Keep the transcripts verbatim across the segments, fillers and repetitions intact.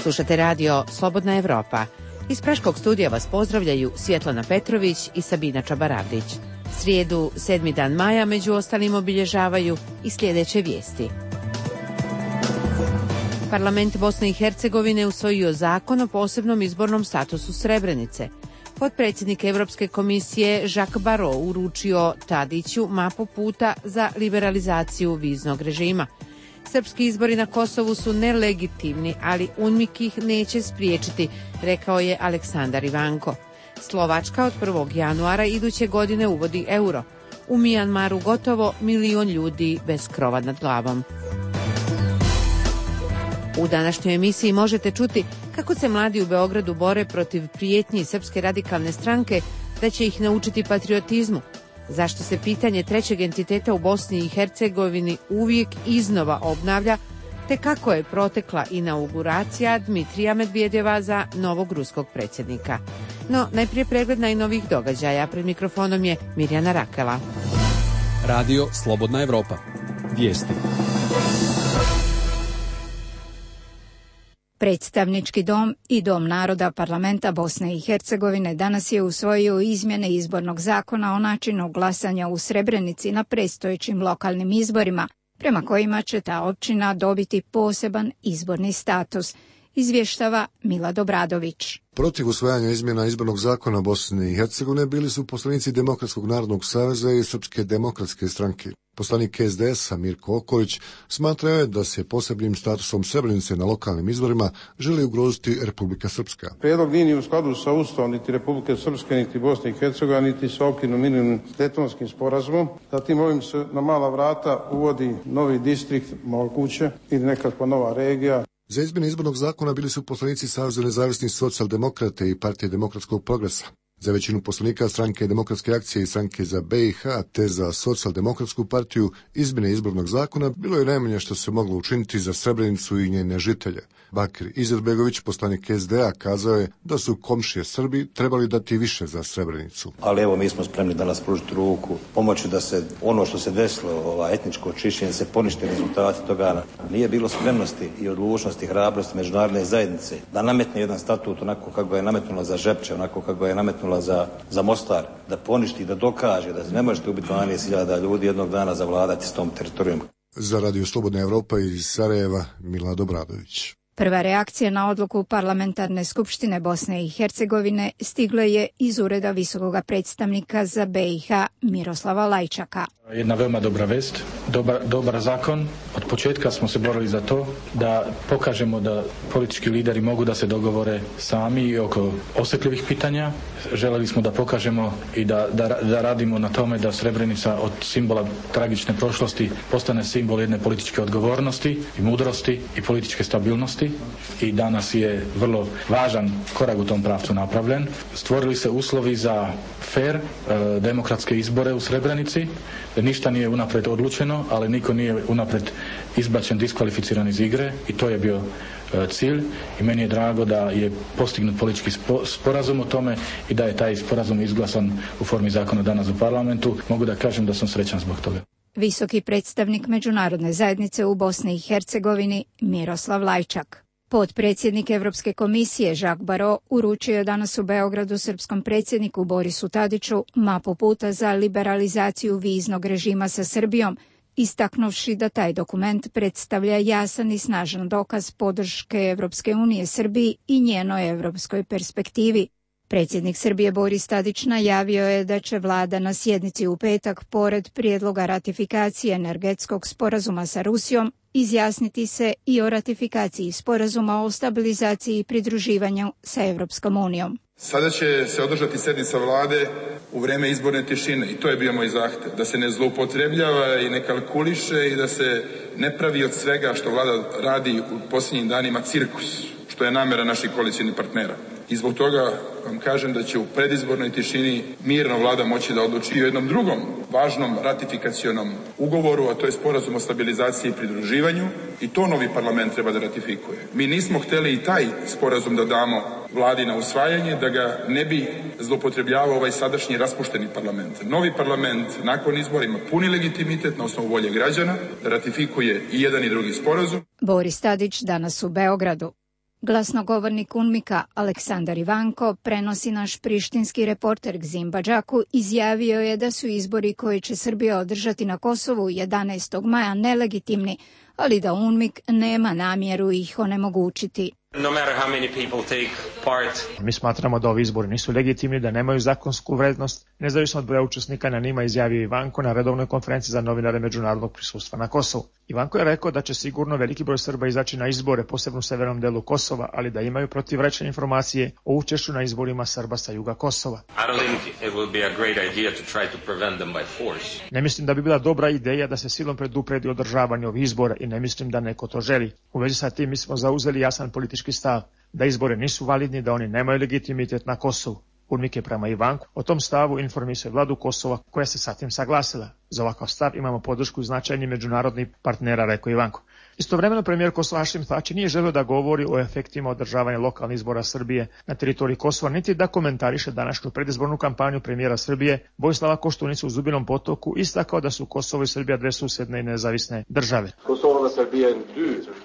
Slušate radio Slobodna Evropa. Iz Praškog studija vas pozdravljaju Svjetlana Petrović i Sabina Čabaravdić. Srijedu, sedmi dan maja, među ostalim obilježavaju i sljedeće vijesti. Parlament Bosne i Hercegovine usvojio zakon o posebnom izbornom statusu Srebrenice. Potpredsjednik Europske komisije Jacques Barrot uručio Tadiću mapu puta za liberalizaciju viznog režima. Srpski izbori na Kosovu su nelegitimni, ali UNMIK ih neće spriječiti, rekao je Aleksandar Ivanko. Slovačka od prvog januara iduće godine uvodi euro. U Mijanmaru gotovo milion ljudi bez krova nad glavom. U današnjoj emisiji možete čuti kako se mladi u Beogradu bore protiv prijetnji Srpske radikalne stranke da će ih naučiti patriotizmu. Zašto se pitanje trećeg entiteta u Bosni i Hercegovini uvijek iznova obnavlja, te kako je protekla inauguracija Dmitrija Medvedjeva za novog ruskog predsjednika. No, najprije pregled najnovijih događaja. Pred mikrofonom je Mirjana Rakela. Radio Slobodna Evropa. Vijesti. Predstavnički dom i Dom naroda Parlamenta Bosne i Hercegovine danas je usvojio izmjene izbornog zakona o načinu glasanja u Srebrenici na predstojećim lokalnim izborima, prema kojima će ta općina dobiti poseban izborni status, izvještava Milad Obradović. Protiv usvajanja izmjena izbornog zakona Bosne i Hercegovine bili su poslanici Demokratskog narodnog saveza i Srpske demokratske stranke. Poslanik es de es-a Mirko Okolić smatrao je da se posebnim statusom Srebrenice na lokalnim izborima želi ugroziti Republika Srpska. Prijedlog nije ni u skladu sa Ustavom niti Republike Srpske, niti Bosne i Hercegovine, niti sa okvirnim minimum Daytonskim sporazumom. Zatim ovim se na mala vrata uvodi novi distrikt moguće ili nekakva nova regija. Za izmjene izbornog zakona bili su poslanici Saveza nezavisnih socijaldemokrate i Partije demokratskog progresa. Za većinu poslanika Stranke demokratske akcije i Stranke za be i ha te za socijaldemokratsku partiju izmjene izbornog zakona bilo je najmanje što se moglo učiniti za Srebrenicu i njene žitelje. Bakir Izetbegović, poslanik es de a, kazao je da su komšije Srbi trebali dati više za Srebrenicu. Ali evo, mi smo spremni danas pružiti ruku, pomoći da se ono što se desilo, ova etničko čišćenje, se ponište rezultati toga. Nije bilo spremnosti i odlučnosti, hrabrosti međunarodne zajednice da nametne jedan statut onako kako ga je nametnula za Žepče, onako kako ga je nametnula za, za Mostar, da poništi, da dokaže da ne možete ubiti dvanaest hiljada ljudi jednog dana zavladati s tom teritorijom. Za Radio Slobodna Evropa iz Sarajeva, Milad Obradović. Prva reakcija na odluku Parlamentarne skupštine Bosne i Hercegovine stigla je iz ureda visokog predstavnika za be i ha Miroslava Lajčaka. Jedna veoma dobra vest, dobar, dobar zakon. Od početka smo se borili za to da pokažemo da politički lideri mogu da se dogovore sami oko osjetljivih pitanja. Želeli smo da pokažemo i da, da, da radimo na tome da Srebrenica od simbola tragične prošlosti postane simbol jedne političke odgovornosti i mudrosti i političke stabilnosti. I danas je vrlo važan korak u tom pravcu napravljen. Stvorili se uslovi za fair, e, demokratske izbore u Srebrenici. Ništa nije unapred odlučeno, ali niko nije unapred izbačen, diskvalificiran iz igre i to je bio e, cilj. I meni je drago da je postignut politički spo, sporazum o tome i da je taj sporazum izglasan u formi zakona danas u parlamentu. Mogu da kažem da sam srećan zbog toga. Visoki predstavnik međunarodne zajednice u Bosni i Hercegovini Miroslav Lajčak. Potpredsjednik Europske komisije Jacques Barrot uručio je danas u Beogradu srpskom predsjedniku Borisu Tadiću mapu puta za liberalizaciju viznog režima sa Srbijom, istaknuvši da taj dokument predstavlja jasan i snažan dokaz podrške Europske unije Srbiji i njenoj europskoj perspektivi. Predsjednik Srbije Boris Tadić najavio je da će vlada na sjednici u petak, pored prijedloga ratifikacije energetskog sporazuma sa Rusijom, izjasniti se i o ratifikaciji sporazuma o stabilizaciji i pridruživanju sa Europskom unijom. Sada će se održati sjednica vlade u vrijeme izborne tišine i to je bio moj zahtjev, da se ne zloupotrebljava i ne kalkuliše i da se ne pravi od svega što vlada radi u posljednjim danima cirkus, što je namjera naših koalicijnih partnera. I zbog toga vam kažem da će u predizbornoj tišini mirno vlada moći da odluči o jednom drugom važnom ratifikacionom ugovoru, a to je sporazum o stabilizaciji i pridruživanju, i to novi parlament treba da ratifikuje. Mi nismo htjeli i taj sporazum da damo vladi na usvajanje, da ga ne bi zloupotrebljavao ovaj sadašnji raspušteni parlament. Novi parlament nakon izbora ima puni legitimitet na osnovu volje građana da ratifikuje i jedan i drugi sporazum. Boris Tadić danas u Beogradu. Glasnogovornik UNMIK-a Aleksandar Ivanko, prenosi naš prištinski reporter Gzim Badžaku, izjavio je da su izbori koje će Srbija održati na Kosovu jedanaestog maja nelegitimni, ali da UNMIK nema namjeru ih onemogućiti. No matter how many people take part. Mi smatramo da ovi izbori nisu legitimni, da nemaju zakonsku vrednost, nezavisno od broja učesnika na njima, izjavio Ivanko na redovnoj konferenciji za novinare međunarodnog prisustva na Kosovu. Ivanko je rekao da će sigurno veliki broj Srba izaći na izbore, posebno u severnom delu Kosova, ali da imaju protivrečne informacije o učešću na izborima Srba sa juga Kosova. I don't think it will be a great idea to try to prevent them by force. Ne mislim da bi bila dobra ideja da se silom predupredi održavanje ovih izbora i ne mislim da neko to želi. U vezi sa tim mi smo zauzeli jasan politički stav, da izbore nisu validni, da oni nemaju legitimitet na Kosovu. UNMIK je prema Ivanku o tom stavu informisao vladu Kosova, koja se sa tim saglasila. Za ovakav stav imamo podršku značajnih međunarodnih partnera, rekao Ivanko. Istovremeno premijer Kosova Hašim Tači nije želio da govori o efektima održavanja lokalnih izbora Srbije na teritoriji Kosova, niti da komentariše današnju predizbornu kampanju premijera Srbije Vojislava Koštunice u Zubinom Potoku, istakao da su Kosovo i Srbija dve susedne i nezavisne države.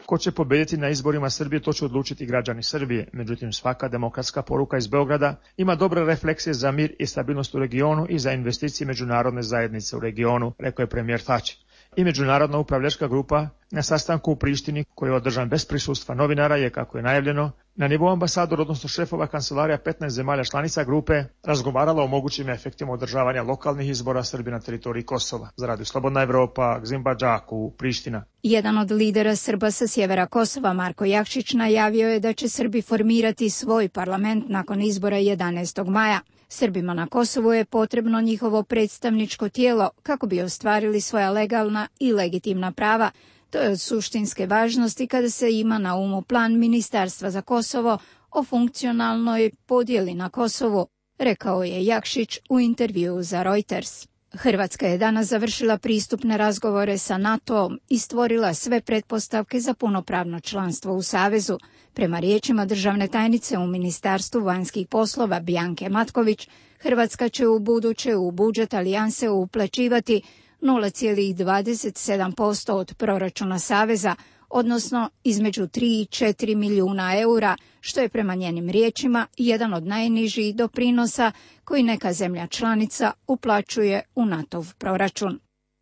Ko će pobediti na izborima Srbije, to će odlučiti građani Srbije. Međutim, svaka demokratska poruka iz Beograda ima dobre refleksije za mir i stabilnost u regionu i za investicije međunarodne zajednice u regionu, rekao je premijer Tači. I međunarodna upravljačka grupa na sastanku u Prištini, koji je održan bez prisustva novinara, je, kako je najavljeno, na nivou ambasadora, odnosno šefova kancelarija petnaest zemalja članica grupe, razgovarala o mogućim efektima održavanja lokalnih izbora Srbije na teritoriji Kosova. Za Radio Slobodna Evropa, Gzim Badžaku, Priština. Jedan od lidera Srba sa sjevera Kosova, Marko Jakšić, najavio je da će Srbi formirati svoj parlament nakon izbora jedanaestog maja. Srbima na Kosovu je potrebno njihovo predstavničko tijelo kako bi ostvarili svoja legalna i legitimna prava. To je od suštinske važnosti kada se ima na umu plan Ministarstva za Kosovo o funkcionalnoj podjeli na Kosovu, rekao je Jakšić u intervjuu za Reuters. Hrvatska je danas završila pristupne razgovore sa NATO-om i stvorila sve pretpostavke za punopravno članstvo u Savezu. Prema riječima državne tajnice u Ministarstvu vanjskih poslova Bjanke Matković, Hrvatska će u buduće u budžet alijanse uplaćivati nula zarez dvadeset sedam posto od proračuna Saveza, odnosno između tri i četiri milijuna eura, što je prema njenim riječima jedan od najnižih doprinosa koji neka zemlja članica uplaćuje u NATO-v proračun.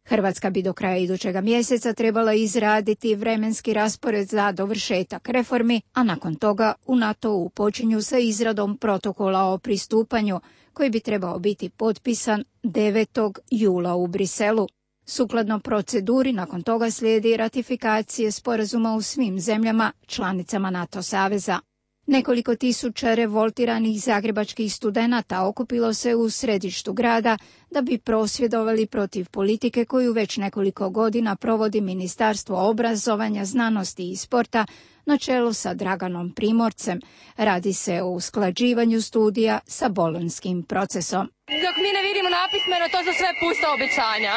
Hrvatska bi do kraja idućega mjeseca trebala izraditi vremenski raspored za dovršetak reformi, a nakon toga u NATO-u počinju sa izradom protokola o pristupanju, koji bi trebao biti potpisan devetog jula u Briselu. Sukladno proceduri, nakon toga slijedi ratifikacije sporazuma u svim zemljama članicama NATO saveza. Nekoliko tisuća revoltiranih zagrebačkih studenata okupilo se u središtu grada da bi prosvjedovali protiv politike koju već nekoliko godina provodi Ministarstvo obrazovanja, znanosti i sporta na čelu sa Draganom Primorcem. Radi se o usklađivanju studija sa bolonjskim procesom. Dok mi ne vidimo napismeno, to su sve pusta obećanja.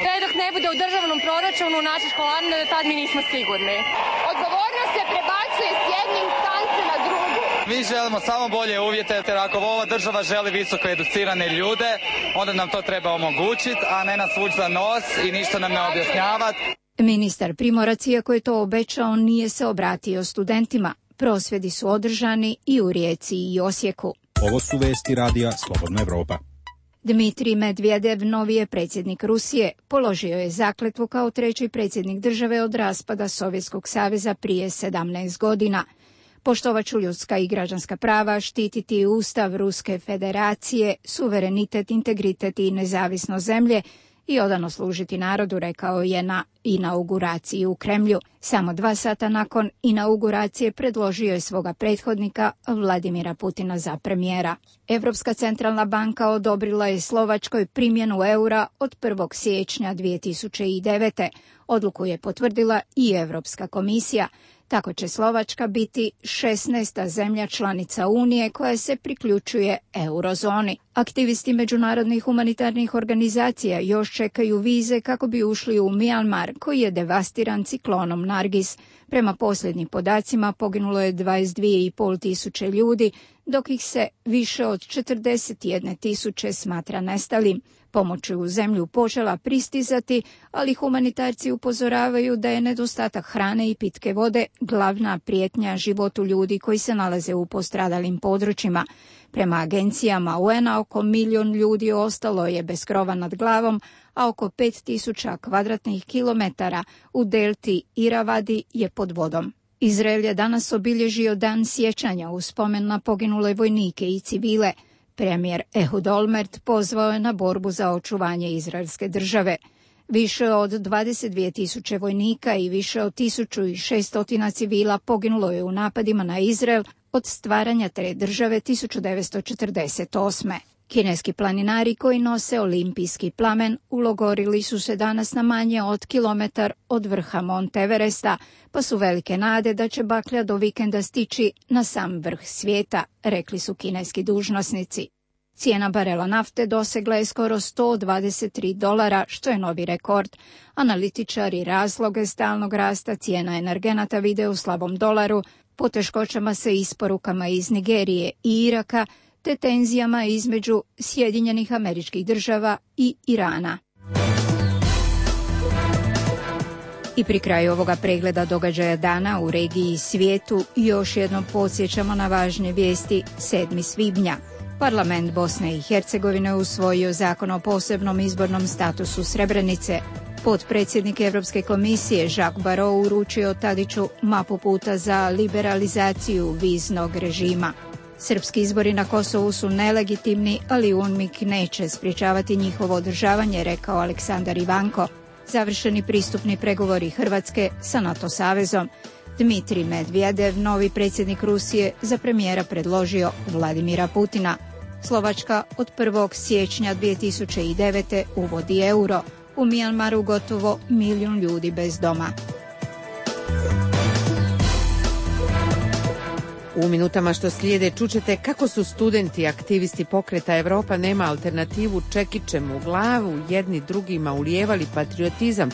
Sve dok ne bude u državnom proračunu naše školarine, tad mi nismo sigurni. Odgovornost se prebacuje s jedne instance na drugu. Mi želimo samo bolje uvjete, jer ako ova država želi visoko educirane ljude, onda nam to treba omogućiti, a ne nas vući za nos i ništa nam ne objašnjavati. Ministar Primorac, iako je to obećao, nije se obratio studentima. Prosvjedi su održani i u Rijeci i Osijeku. Ovo su vesti radija Slobodna Evropa. Dmitrij Medvedev, novi je predsjednik Rusije, položio je zakletvu kao treći predsjednik države od raspada Sovjetskog saveza prije sedamnaest godina. Poštovat ću ljudska i građanska prava, štititi Ustav Ruske federacije, suverenitet, integritet i nezavisnost zemlje i odano služiti narodu, rekao je na inauguraciji u Kremlju. Samo dva sata nakon inauguracije predložio je svoga prethodnika Vladimira Putina za premijera. Europska centralna banka odobrila je Slovačkoj primjenu eura od prvog siječnja dvije tisuće devete. Odluku je potvrdila i Europska komisija. Tako će Slovačka biti šesnaesta zemlja članica Unije koja se priključuje eurozoni. Aktivisti međunarodnih humanitarnih organizacija još čekaju vize kako bi ušli u Mjanmar, koji je devastiran ciklonom Nargis. Prema posljednjim podacima poginulo je dvadeset dvije i pol tisuće ljudi, dok ih se više od četrdeset jedne tisuće smatra nestalim. Pomoć je u zemlju počela pristizati, ali humanitarci upozoravaju da je nedostatak hrane i pitke vode glavna prijetnja životu ljudi koji se nalaze u postradalim područjima. Prema agencijama U N-a oko milion ljudi ostalo je bez krova nad glavom, a oko pet tisuća kvadratnih kilometara u delti Iravadi je pod vodom. Izrael je danas obilježio dan sjećanja u spomen na poginule vojnike i civile. Premijer Ehud Olmert pozvao je na borbu za očuvanje izraelske države. Više od dvadeset dvije tisuće vojnika i više od tisuću šesto civila poginulo je u napadima na Izrael od stvaranja te države tisuću devetsto četrdeset osme. Kineski planinari koji nose olimpijski plamen ulogorili su se danas na manje od kilometar od vrha Mont Everesta, pa su velike nade da će baklja do vikenda stići na sam vrh svijeta, rekli su kineski dužnosnici. Cijena barela nafte dosegla je skoro sto dvadeset tri dolara, što je novi rekord. Analitičari razloge stalnog rasta cijena energenata vide u slabom dolaru, poteškoćama sa isporukama iz Nigerije i Iraka, te tenzijama između Sjedinjenih Američkih Država i Irana. I pri kraju ovoga pregleda događaja dana u regiji i svijetu još jednom podsjećamo na važne vijesti. sedmog svibnja. Parlament Bosne i Hercegovine usvojio zakon o posebnom izbornom statusu Srebrenice. Potpredsjednik Europske komisije Jacques Barrot uručio Tadiću mapu puta za liberalizaciju viznog režima. Srpski izbori na Kosovu su nelegitimni, ali UNMIK neće sprječavati njihovo održavanje, rekao Aleksandar Ivanko. Završeni pristupni pregovori Hrvatske sa NATO savezom. Dmitrij Medvedev, novi predsjednik Rusije, za premijera predložio Vladimira Putina. Slovačka od prvog siječnja dvije tisuće devete uvodi euro. U Mijanmaru gotovo milijun ljudi bez doma. U minutama što slijede čućete kako su studenti aktivisti pokreta Evropa nema alternativu čekićem u glavu jedni drugima ulijevali patriotizam,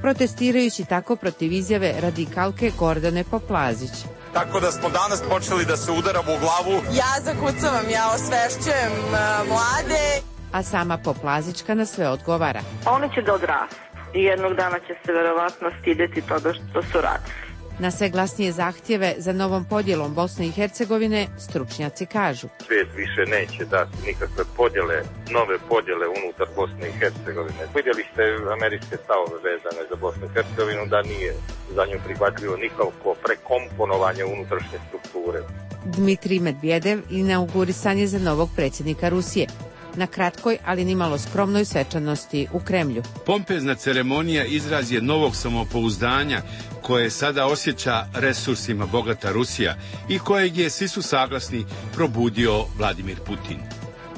protestirajući tako protiv izjave radikalke Gordane Poplazić. Tako da smo danas počeli da se udaramo u glavu. Ja zakucavam, ja osvešćujem uh, mlade. A sama Poplazićka na sve odgovara. Oni će da odrastu i jednog dana će se verovatno stideti toga što su radili. Na sve glasnije zahtjeve za novom podjelom Bosne i Hercegovine stručnjaci kažu. Svijet više neće dati nikakve podjele, nove podjele unutar Bosne i Hercegovine. Vidjeli ste američke stavove vezane za Bosnu i Hercegovinu da nije za nju prihvatljivo nikako prekomponovanje unutrašnje strukture. Dmitrij Medvedev inaugurisan je za novog predsjednika Rusije. Na kratkoj, ali nimalo skromnoj svečanosti u Kremlju. Pompezna ceremonija izraz je novog samopouzdanja koje sada osjeća resursima bogata Rusija i kojeg je, svi su saglasni, probudio Vladimir Putin.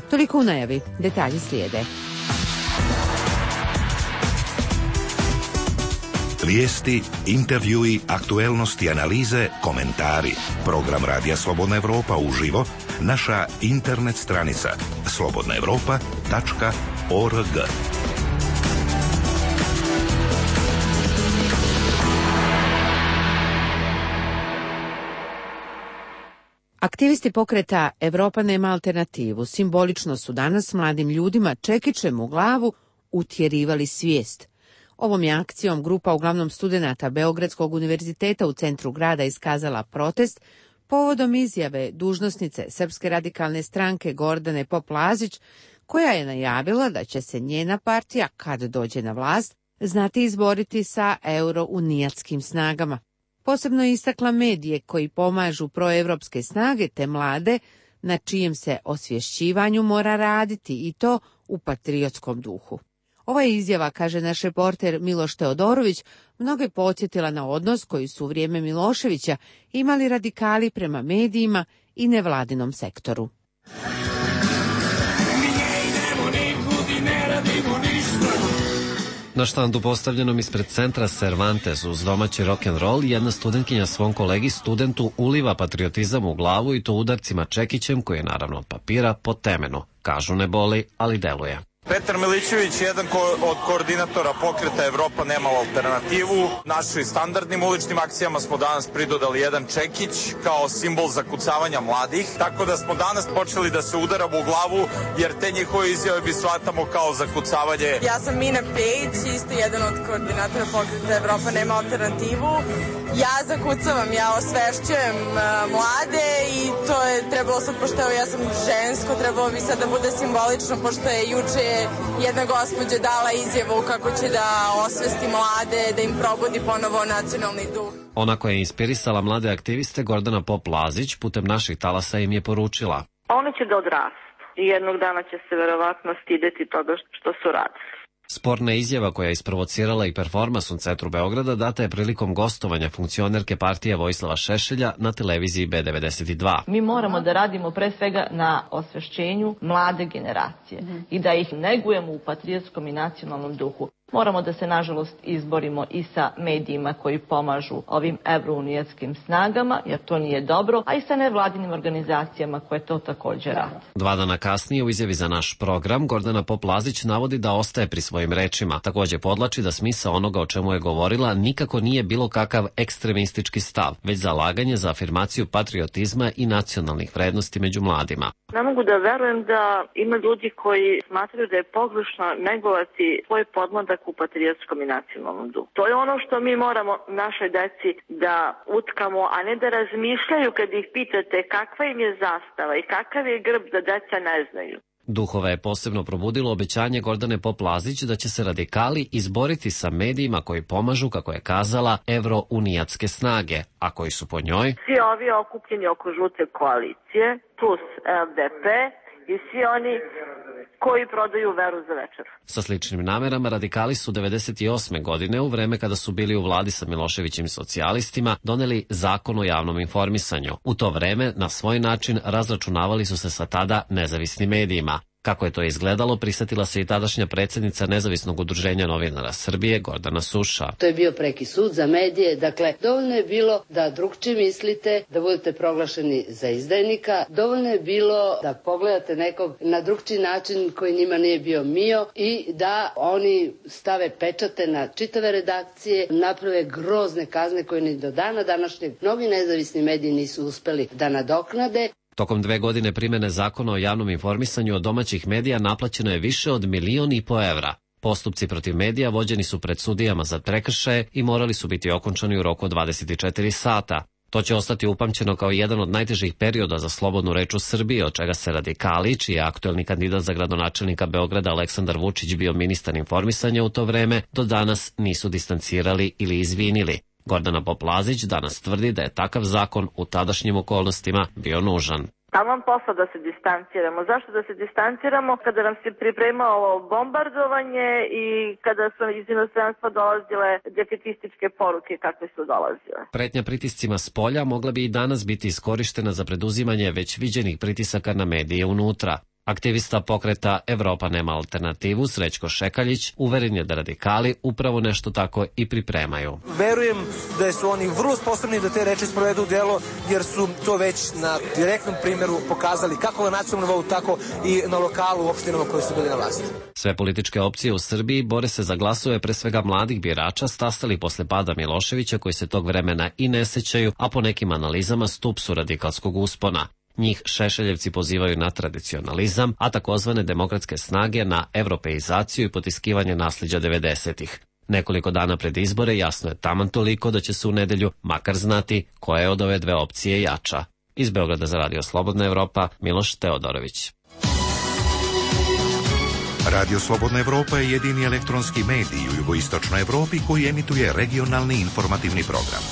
Toliko u najavi, detalji slijede. Vijesti, intervjui, aktuelnosti, analize, komentari. Program Radija Slobodna Evropa uživo, naša internet stranica slobodna evropa tačka org. Aktivisti pokreta Evropa nema alternativu simbolično su danas mladim ljudima čekićem u glavu utjerivali svijest. Ovom je akcijom grupa uglavnom studenata Beogradskog univerziteta u centru grada iskazala protest povodom izjave dužnosnice Srpske radikalne stranke Gordane Poplazić, koja je najavila da će se njena partija, kad dođe na vlast, znati izboriti sa eurounijatskim snagama. Posebno je istakla medije koji pomažu proevropske snage te mlade, na čijem se osvješćivanju mora raditi i to u patriotskom duhu. Ova izjava, kaže naš reporter Miloš Teodorović, mnoge podsjetila na odnos koji su u vrijeme Miloševića imali radikali prema medijima i nevladinom sektoru. Na štandu postavljenom ispred centra Cervantes uz domaći rock'n'roll jedna studentkinja svom kolegi studentu uliva patriotizam u glavu i to udarcima čekićem koji je naravno od papira po temenu. Kažu ne boli, ali deluje. Petar Milićević, jedan ko, od koordinatora pokreta Evropa nema alternativu. Našim standardnim uličnim akcijama smo danas pridodali jedan čekić kao simbol zakucavanja mladih, tako da smo danas počeli da se udaramo u glavu, jer te njihove izjave bi shvatamo kao zakucavanje. Ja sam Mina Pejić, isto jedan od koordinatora pokreta Evropa nema alternativu. Ja zakucavam, ja osvešćujem uh, mlade i to je trebalo sad, pošto ja sam žensko, trebalo bi sad da bude simbolično, pošto je juče jedna gospođa dala izjavu kako će da osvesti mlade, da im probudi ponovo nacionalni duh. Ona koja je inspirisala mlade aktiviste, Gordana Pop-Lazić, putem naših talasa im je poručila: Oni će da odrastu i jednog dana će se verovatno stideti toga što su radili. Sporna izjava koja je isprovocirala i performans u centru Beograda data je prilikom gostovanja funkcionerke partije Vojislava Šešelja na televiziji B devedeset dva. Mi moramo da radimo pre svega na osvešćenju mlade generacije mm. i da ih negujemo u patriotskom i nacionalnom duhu. Moramo da se, nažalost, izborimo i sa medijima koji pomažu ovim evrounijatskim snagama, jer to nije dobro, a i sa nevladinim organizacijama koje to također rade. Dva dana kasnije u izjavi za naš program Gordana Pop-Lazić navodi da ostaje pri svojim rečima. Također podlači da smisao onoga o čemu je govorila nikako nije bilo kakav ekstremistički stav, već zalaganje za afirmaciju patriotizma i nacionalnih vrednosti među mladima. Ne mogu da verujem da ima ljudi koji smatraju da je pogrešno negovati svoj podmladak u patriotskom i nacionalnom duhu. To je ono što mi moramo našoj deci da utkamo, a ne da razmišljaju kad ih pitate kakva im je zastava i kakav je grb, da deca ne znaju. Duhova je posebno probudilo obećanje Gordane Pop-Lazić da će se radikali izboriti sa medijima koji pomažu, kako je kazala, evrounijatske snage, a koji su po njoj svi ovi okupljeni oko žute koalicije, plus L D P i svi oni koji prodaju veru za večer. Sa sličnim namerama radikali su devedeset osme godine, u vreme kada su bili u vladi sa Miloševićim socijalistima, doneli zakon o javnom informisanju. U to vreme, na svoj način, razračunavali su se sa tada nezavisnim medijima. Kako je to izgledalo, prisjetila se i tadašnja predsjednica Nezavisnog udruženja novinara Srbije, Gordana Suša. To je bio preki sud za medije, dakle, dovoljno je bilo da drugčije mislite, da budete proglašeni za izdajnika, dovoljno je bilo da pogledate nekog na drugčiji način koji njima nije bio mio i da oni stave pečate na čitave redakcije, naprave grozne kazne koje ni do dana današnjeg mnogi nezavisni mediji nisu uspeli da nadoknade. Tokom dve godine primjene zakona o javnom informisanju od domaćih medija naplaćeno je više od milion i po evra. Postupci protiv medija vođeni su pred sudijama za prekršaje i morali su biti okončani u roku od dvadeset četiri sata. To će ostati upamćeno kao jedan od najtežih perioda za slobodnu reč u Srbiji, od čega se radikali, čiji je aktuelni kandidat za gradonačelnika Beograda Aleksandar Vučić bio ministar informisanja u to vreme, do danas nisu distancirali ili izvinili. Gordana Pop-Lazić danas tvrdi da je takav zakon u tadašnjim okolnostima bio nužan. Taman posla da se distanciramo. Zašto da se distanciramo? Kada nam se pripremalo bombardovanje i kada su iz inostranstva dolazile defetističke poruke kakve su dolazile. Pretnja pritiscima s polja mogla bi i danas biti iskorištena za preduzimanje već viđenih pritisaka na medije unutra. Aktivista pokreta Evropa nema alternativu, Srećko Šekaljić, uveren je da radikali upravo nešto tako i pripremaju. Verujem da su oni vrlo sposobni da te reči sprovedu u delo, jer su to već na direktnom primjeru pokazali kako na nacionalnom nivou, tako i na lokalu u opštinama koje su bili na vlasti. Sve političke opcije u Srbiji bore se za glasove pre svega mladih birača stasali posle pada Miloševića, koji se tog vremena i ne sećaju, a po nekim analizama stup su radikalskog uspona. Njih Šešeljevci pozivaju na tradicionalizam, a takozvane demokratske snage na evropeizaciju i potiskivanje nasljeđa devedesetih. Nekoliko dana pred izbore jasno je taman toliko da će se u nedelju makar znati koja je od ove dve opcije jača. Iz Beograda za Radio Slobodna Evropa, Miloš Teodorović. Radio Slobodna Evropa je jedini elektronski medij u jugoistočnoj Evropi koji emituje regionalni informativni program.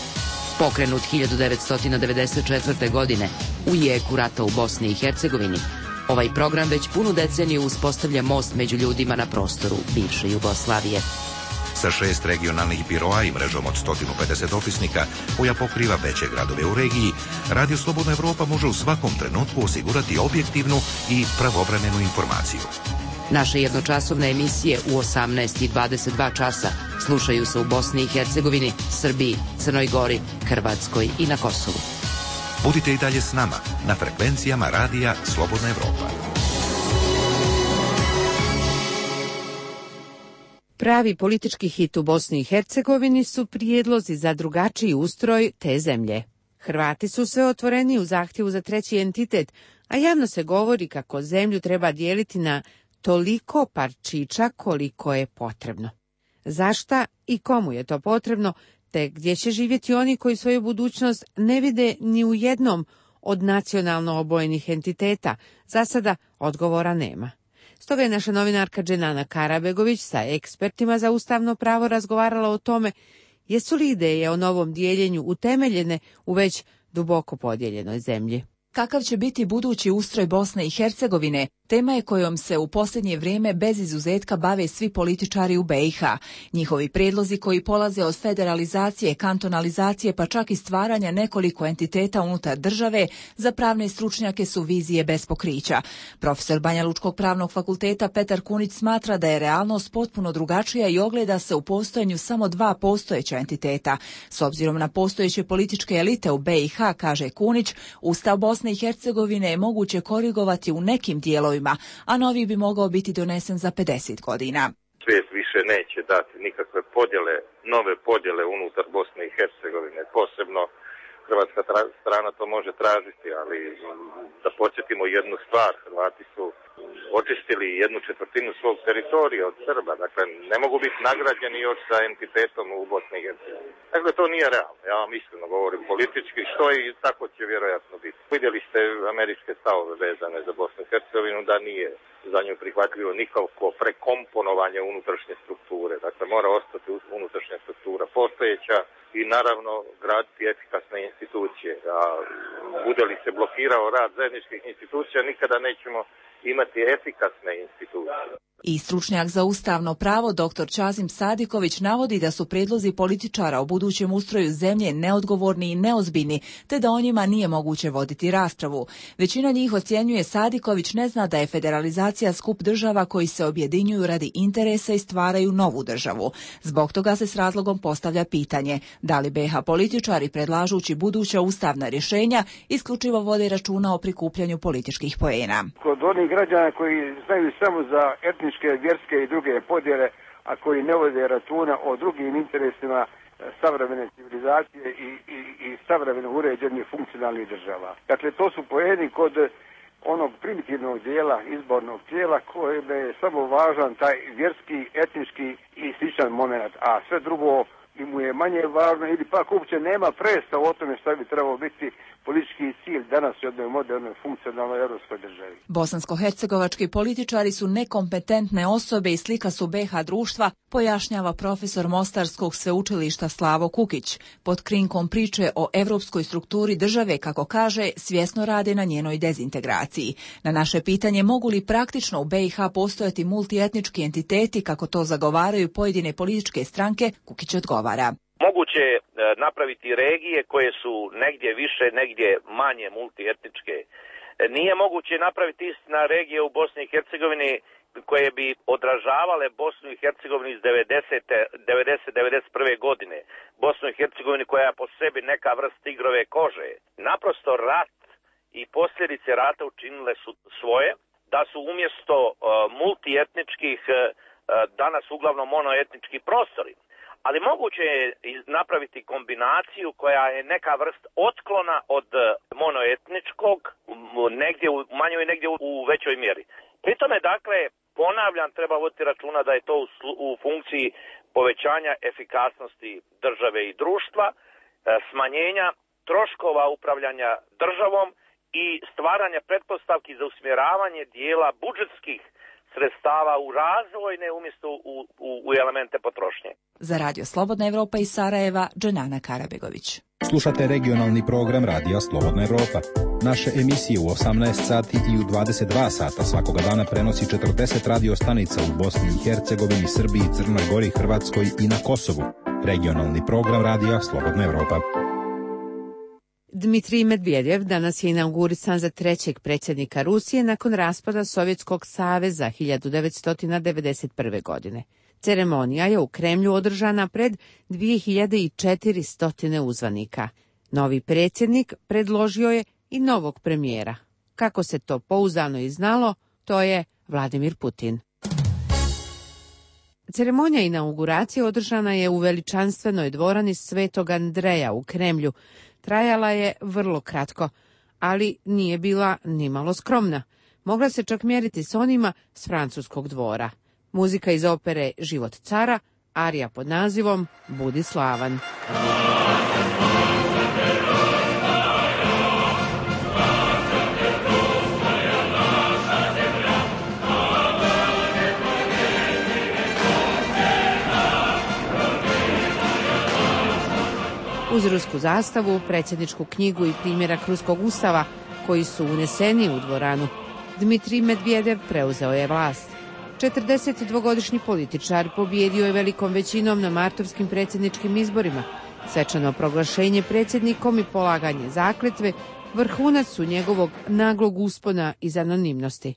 Pokrenut hiljadu devetsto devedeset četvrte. godine u jeku rata u Bosni i Hercegovini, ovaj program već punu deceniju uspostavlja most među ljudima na prostoru bivše Jugoslavije. Sa šest regionalnih biroa i mrežom od sto pedeset opisnika koja pokriva veće gradove u regiji, Radio Slobodna Evropa može u svakom trenutku osigurati objektivnu i pravovremenu informaciju. Naše jednočasovne emisije u osamnaest i dvadeset dva časa slušaju se u Bosni i Hercegovini, Srbiji, Crnoj Gori, Hrvatskoj i na Kosovu. Budite i dalje s nama na frekvencijama Radija Slobodna Evropa. Pravi politički hit u Bosni i Hercegovini su prijedlozi za drugačiji ustroj te zemlje. Hrvati su sve otvoreni u zahtjevu za treći entitet, a javno se govori kako zemlju treba dijeliti na toliko parčića koliko je potrebno. Zašta i komu je to potrebno, te gdje će živjeti oni koji svoju budućnost ne vide ni u jednom od nacionalno obojenih entiteta, za sada odgovora nema. Stoga je naša novinarka Dženana Karabegović sa ekspertima za ustavno pravo razgovarala o tome jesu li ideje o novom dijeljenju utemeljene u već duboko podijeljenoj zemlji. Kakav će biti budući ustroj Bosne i Hercegovine, tema je kojom se u posljednje vrijeme bez izuzetka bave svi političari u be i ha. Njihovi prijedlozi koji polaze od federalizacije, kantonalizacije pa čak i stvaranja nekoliko entiteta unutar države, za pravne stručnjake su vizije bez pokrića. Profesor Banjalučkog pravnog fakulteta Petar Kunić smatra da je realnost potpuno drugačija i ogleda se u postojanju samo dva postojeća entiteta. S obzirom na postojeće političke elite u be i ha, kaže Kunić, Ustav Bosne i Hercegovine je moguće korigovati u nekim dijelovima, a novi bi mogao biti donesen za pedeset godina. Svijet više neće dati nikakve podjele, nove podjele unutar Bosne i Hercegovine. Posebno hrvatska tra- strana to može tražiti, ali da podsjetimo jednu stvar, Hrvati su očistili jednu četvrtinu svog teritorija od Srba, dakle ne mogu biti nagrađeni još sa entitetom u Bosni i Hercegovini. Dakle, to nije realno, ja vam iskreno govorim politički, što i tako će vjerojatno biti. Vidjeli ste američke stavove vezane za Bosnu i Hercegovinu, da nije za nju prihvatljivo nikako prekomponovanje unutrašnje strukture, dakle mora ostati unutrašnja struktura postojeća i naravno graditi efikasne institucije. A bude li se blokirao rad zajedničkih institucija, nikada nećemo imati efikasne institucije. I stručnjak za ustavno pravo dr Čazim Sadiković navodi da su prijedlozi političara o budućem ustroju zemlje neodgovorni i neozbiljni, te da o njima nije moguće voditi raspravu. Većina njih, ocjenjuje Sadiković, ne zna da je federalizacija skup država koji se objedinjuju radi interesa i stvaraju novu državu. Zbog toga se s razlogom postavlja pitanje da li be i ha političari, predlažući buduća ustavna rješenja, isključivo vode računa o prikupljanju političkih poena. Kod onih građana koji znaju samo za etničke, vjerske i druge podjele, a koji ne vode računa o drugim interesima savremene civilizacije i, i, i savremeno uređenih funkcionalnih država. Dakle, to su poeni kod onog primitivnog dijela izbornog tijela kojem je samo važan taj vjerski, etnički i sličan moment, a sve drugo i mu je manje važno ili pak uopće nema predstava o tome što bi trebalo biti politički cilj danas u jednoj modernoj funkcionalnoj europskoj državi. Bosansko-hercegovački političari su nekompetentne osobe i slika su be i ha društva, pojašnjava profesor Mostarskog sveučilišta Slavo Kukić. Pod krinkom priče o evropskoj strukturi države, kako kaže, svjesno rade na njenoj dezintegraciji. Na naše pitanje mogu li praktično u be i ha postojati multietnički entiteti, kako to zagovaraju pojedine političke stranke, Kukić odgovara. Moguće je napraviti regije koje su negdje više, negdje manje multietničke. Nije moguće napraviti istina regije u Bosni i Hercegovini koje bi odražavale Bosnu i Hercegovinu iz devedesete, devedeset, devedeset prve godine. Bosnu i Hercegovinu koja je po sebi neka vrst tigrove kože. Naprosto rat i posljedice rata učinile su svoje, da su umjesto uh, multietničkih uh, danas uglavnom monoetnički prostori. Ali moguće je napraviti kombinaciju koja je neka vrst otklona od monoetničkog, negdje u manjoj, negdje u većoj mjeri. Pri tome, dakle, ponavljam, treba voditi računa da je to u, u funkciji povećanja efikasnosti države i društva, smanjenja troškova upravljanja državom i stvaranja pretpostavki za usmjeravanje dijela budžetskih sredstava u razvojne umjesto u, u, u elemente potrošnje. Za Radio Slobodna Evropa iz Sarajeva, Dženana Karabegović. Slušate regionalni program Radija Slobodna Evropa. Naše emisije u osamnaest sati i u dvadeset dva sata svakoga dana prenosi četrdeset radio stanica u Bosni i Hercegovini, Srbiji, Crnoj Gori, Hrvatskoj i na Kosovu. Regionalni program Radija Slobodna Evropa. Dmitrij Medvedev danas je inaugurisan za trećeg predsjednika Rusije nakon raspada Sovjetskog saveza hiljadu devetsto devedeset prve. godine. Ceremonija je u Kremlju održana pred dvije hiljade četiristo uzvanika. Novi predsjednik predložio je i novog premijera. Kako se to pouzdano i znalo, to je Vladimir Putin. Ceremonija inauguracije održana je u veličanstvenoj dvorani Svetog Andreja u Kremlju. Trajala je vrlo kratko, ali nije bila nimalo skromna. Mogla se čak mjeriti s onima s francuskog dvora. Muzika iz opere Život cara, arija pod nazivom Budi slavan. Uz rusku zastavu, predsjedničku knjigu i primjerak ruskog ustava koji su uneseni u dvoranu, Dmitrij Medvedev preuzeo je vlast. četrdesetdvogodišnji političar pobjedio je velikom većinom na martovskim predsjedničkim izborima. Svečano proglašenje predsjednikom i polaganje zakletve vrhunac su njegovog naglog uspona iz anonimnosti.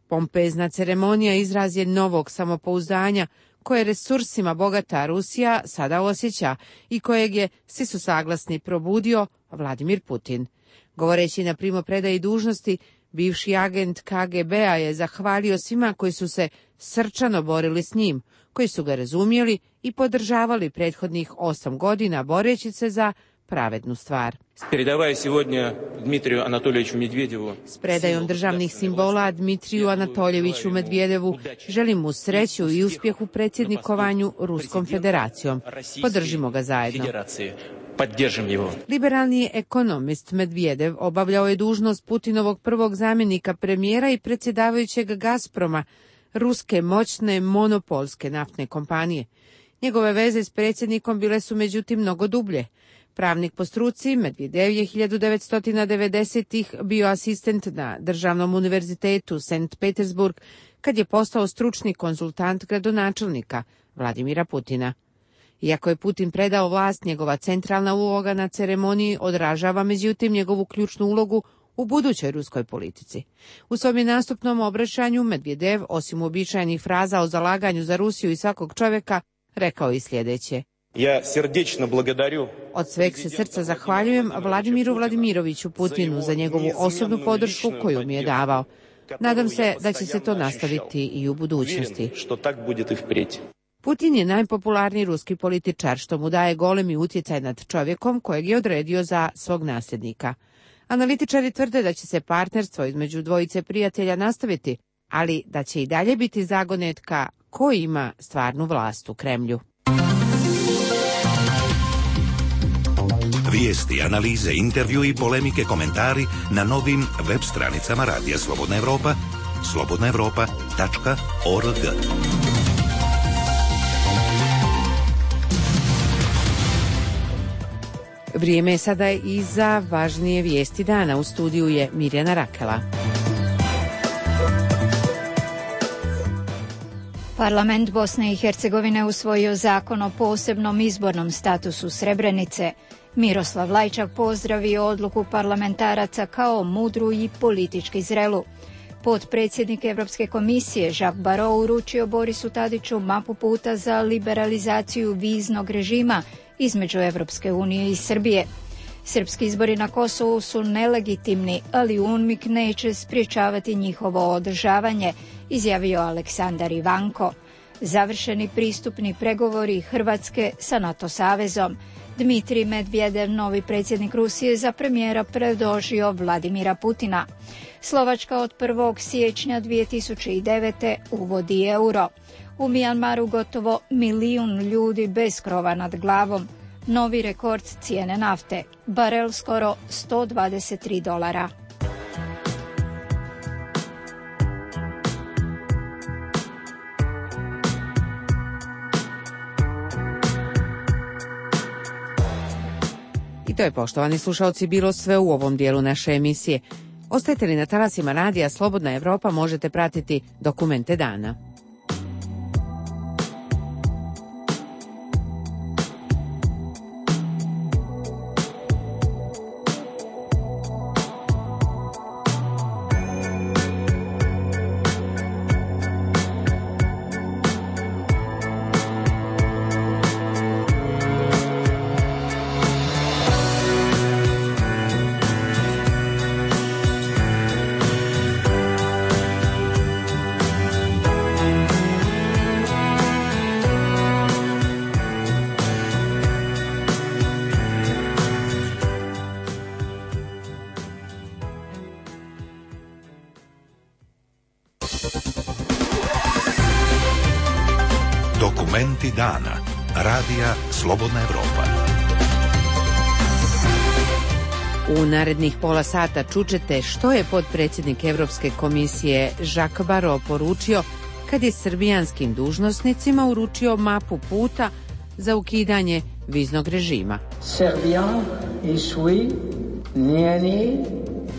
Pompezna ceremonija izraz je novog samopouzdanja koje resursima bogata Rusija sada osjeća i kojeg je, svi su saglasni, probudio Vladimir Putin. Govoreći na primopredaji dužnosti, bivši agent K G B-a je zahvalio svima koji su se srčano borili s njim, koji su ga razumjeli i podržavali prethodnih osam godina boreći se za pravednu stvar. S predajom državnih simbola Dmitriju Anatoljeviću Medvedevu želim mu sreću i uspjeh u predsjednikovanju Ruskom federacijom. Podržimo ga zajedno. Liberalni ekonomist Medvedev obavljao je dužnost Putinovog prvog zamjenika premijera i predsjedavajućeg Gazproma, ruske moćne monopolske naftne kompanije. Njegove veze s predsjednikom bile su međutim mnogo dublje. Pravnik po struci, Medvedev je hiljadu devetsto devedesetih bio asistent na Državnom univerzitetu Sankt Petersburg kad je postao stručni konzultant gradonačelnika Vladimira Putina. Iako je Putin predao vlast, njegova centralna uloga na ceremoniji odražava međutim njegovu ključnu ulogu u budućoj ruskoj politici. U svom je nastupnom obraćanju Medvedev, osim uobičajenih fraza o zalaganju za Rusiju i svakog čovjeka, rekao i sljedeće. Ja srdečno благодарю. Od sveg se srca zahvaljujem Vladimiru Vladimiroviću Putinu za njegovu osobnu podršku koju mi je davao. Nadam se da će se to nastaviti i u budućnosti. Putin je najpopularniji ruski političar, što mu daje golemi utjecaj nad čovjekom kojeg je odredio za svog nasljednika. Analitičari tvrde da će se partnerstvo između dvojice prijatelja nastaviti, ali da će i dalje biti zagonetka ko ima stvarnu vlast u Kremlju. Vijesti, analize, intervju i polemike, komentari na novim web stranicama Radija Slobodna Evropa, slobodna evropa tačka org. Vrijeme je sada i za važnije vijesti dana. U studiju je Mirjana Rakela. Parlament Bosne i Hercegovine usvojio zakon o posebnom izbornom statusu Srebrenice. Miroslav Lajčak pozdravio odluku parlamentaraca kao mudru i politički zrelu. Potpredsjednik Europske komisije Jacques Barrot uručio Borisu Tadiću mapu puta za liberalizaciju viznog režima između Europske unije i Srbije. Srpski izbori na Kosovu su nelegitimni, ali UNMIK neće spriječavati njihovo održavanje, izjavio Aleksandar Ivanko. Završeni pristupni pregovori Hrvatske sa NATO savezom. Dmitrij Medvedev, novi predsjednik Rusije, za premijera predložio Vladimira Putina. Slovačka od prvog siječnja dvije tisuće devete. uvodi euro. U Mijanmaru gotovo milijun ljudi bez krova nad glavom. Novi rekord cijene nafte. Barel skoro sto dvadeset tri dolara. I to je, poštovani slušalci, bilo sve u ovom dijelu naše emisije. Ostajte li na talasima radija Slobodna Evropa, možete pratiti dokumente dana. Dokumenti dana. Radija Slobodna Evropa. U narednih pola sata čućete što je potpredsjednik Evropske komisije Jacques Barrot poručio kad je srbijanskim dužnosnicima uručio mapu puta za ukidanje viznog režima. Srbija i svi njeni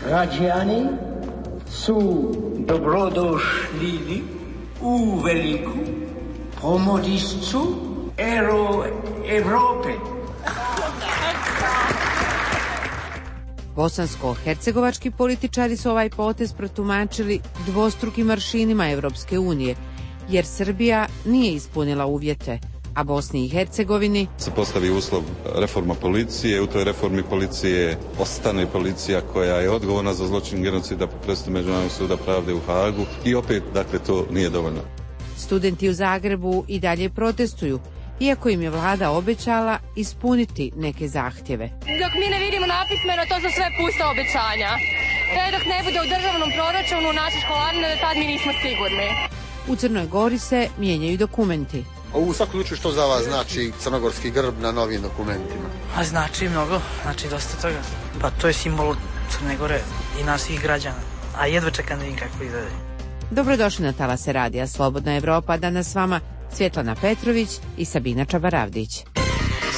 građani su dobrodošli u veliku pomodišću Evrope. Bosansko-hercegovački političari su ovaj potez protumačili dvostrukim aršinima Evropske unije, jer Srbija nije ispunila uvjete, a Bosni i Hercegovini se postavi uslov reforma policije, u toj reformi policije ostane policija koja je odgovorna za zločin genocida po presudi Međunarodnog suda pravde u Hagu i opet, dakle, to nije dovoljno. Studenti u Zagrebu i dalje protestuju, iako im je vlada obećala ispuniti neke zahtjeve. Dok mi ne vidimo napismeno, to su sve pusta obećanja. Sve dok ne bude u državnom proračunu naše školarine, tad mi nismo sigurni. U Crnoj Gori se mijenjaju dokumenti. U svakom slučaju što za vas znači crnogorski grb na novim dokumentima? A znači mnogo, znači dosta toga. Pa to je simbol Crne Gore i nas svih građana. A jedva čekam da vidim kako izgleda. Dobrodošli na talase radija Slobodna Evropa, danas s vama Svjetlana Petrović i Sabina Čabaravdić.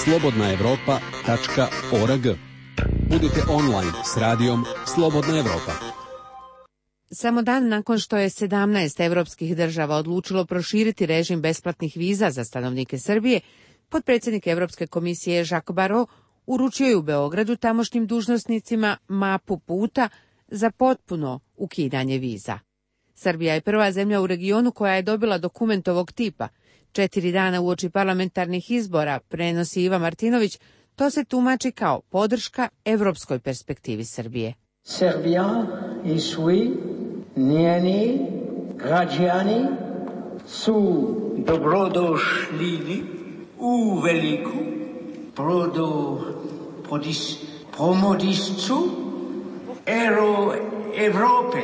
slobodna evropa tačka org. Budite online s radijom Slobodna Evropa. Samo dan nakon što je sedamnaest evropskih država odlučilo proširiti režim besplatnih viza za stanovnike Srbije, potpredsjednik Evropske komisije Jacques Barrot uručio je u Beogradu tamošnjim dužnosnicima mapu puta za potpuno ukidanje viza. Srbija je prva zemlja u regionu koja je dobila dokument ovog tipa. Četiri dana uoči parlamentarnih izbora, prenosi Iva Martinović, to se tumači kao podrška evropskoj perspektivi Srbije. Srbija i svi njeni građani su dobrodošli u veliku pomodišću Evrope.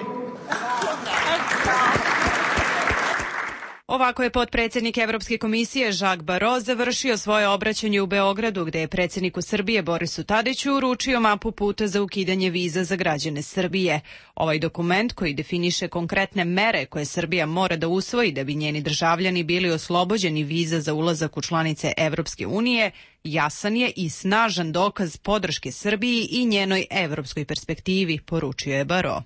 Ovako je potpredsjednik Evropske komisije Jacques Barrot završio svoje obraćanje u Beogradu, gde je predsjedniku Srbije Borisu Tadiću uručio mapu puta za ukidanje viza za građane Srbije. Ovaj dokument, koji definiše konkretne mere koje Srbija mora da usvoji da bi njeni državljani bili oslobođeni viza za ulazak u članice Evropske unije, jasan je i snažan dokaz podrške Srbiji i njenoj evropskoj perspektivi, poručio je Barrot.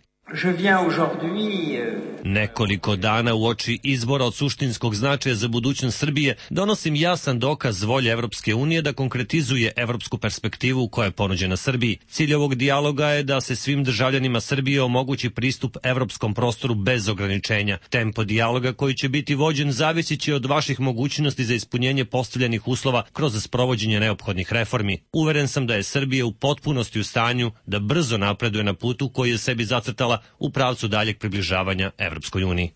Nekoliko dana uoči izbora od suštinskog značaja za budućnost Srbije donosim jasan dokaz volje Evropske unije da konkretizuje evropsku perspektivu koja je ponuđena Srbiji. Cilj ovog dijaloga je da se svim državljanima Srbije omogući pristup evropskom prostoru bez ograničenja. Tempo dijaloga koji će biti vođen zavisit će od vaših mogućnosti za ispunjenje postavljenih uslova kroz sprovođenje neophodnih reformi. Uveren sam da je Srbija u potpunosti u stanju da brzo napreduje na putu koji je sebi zacrtala u pravcu daljeg približavanja Evropskoj uniji.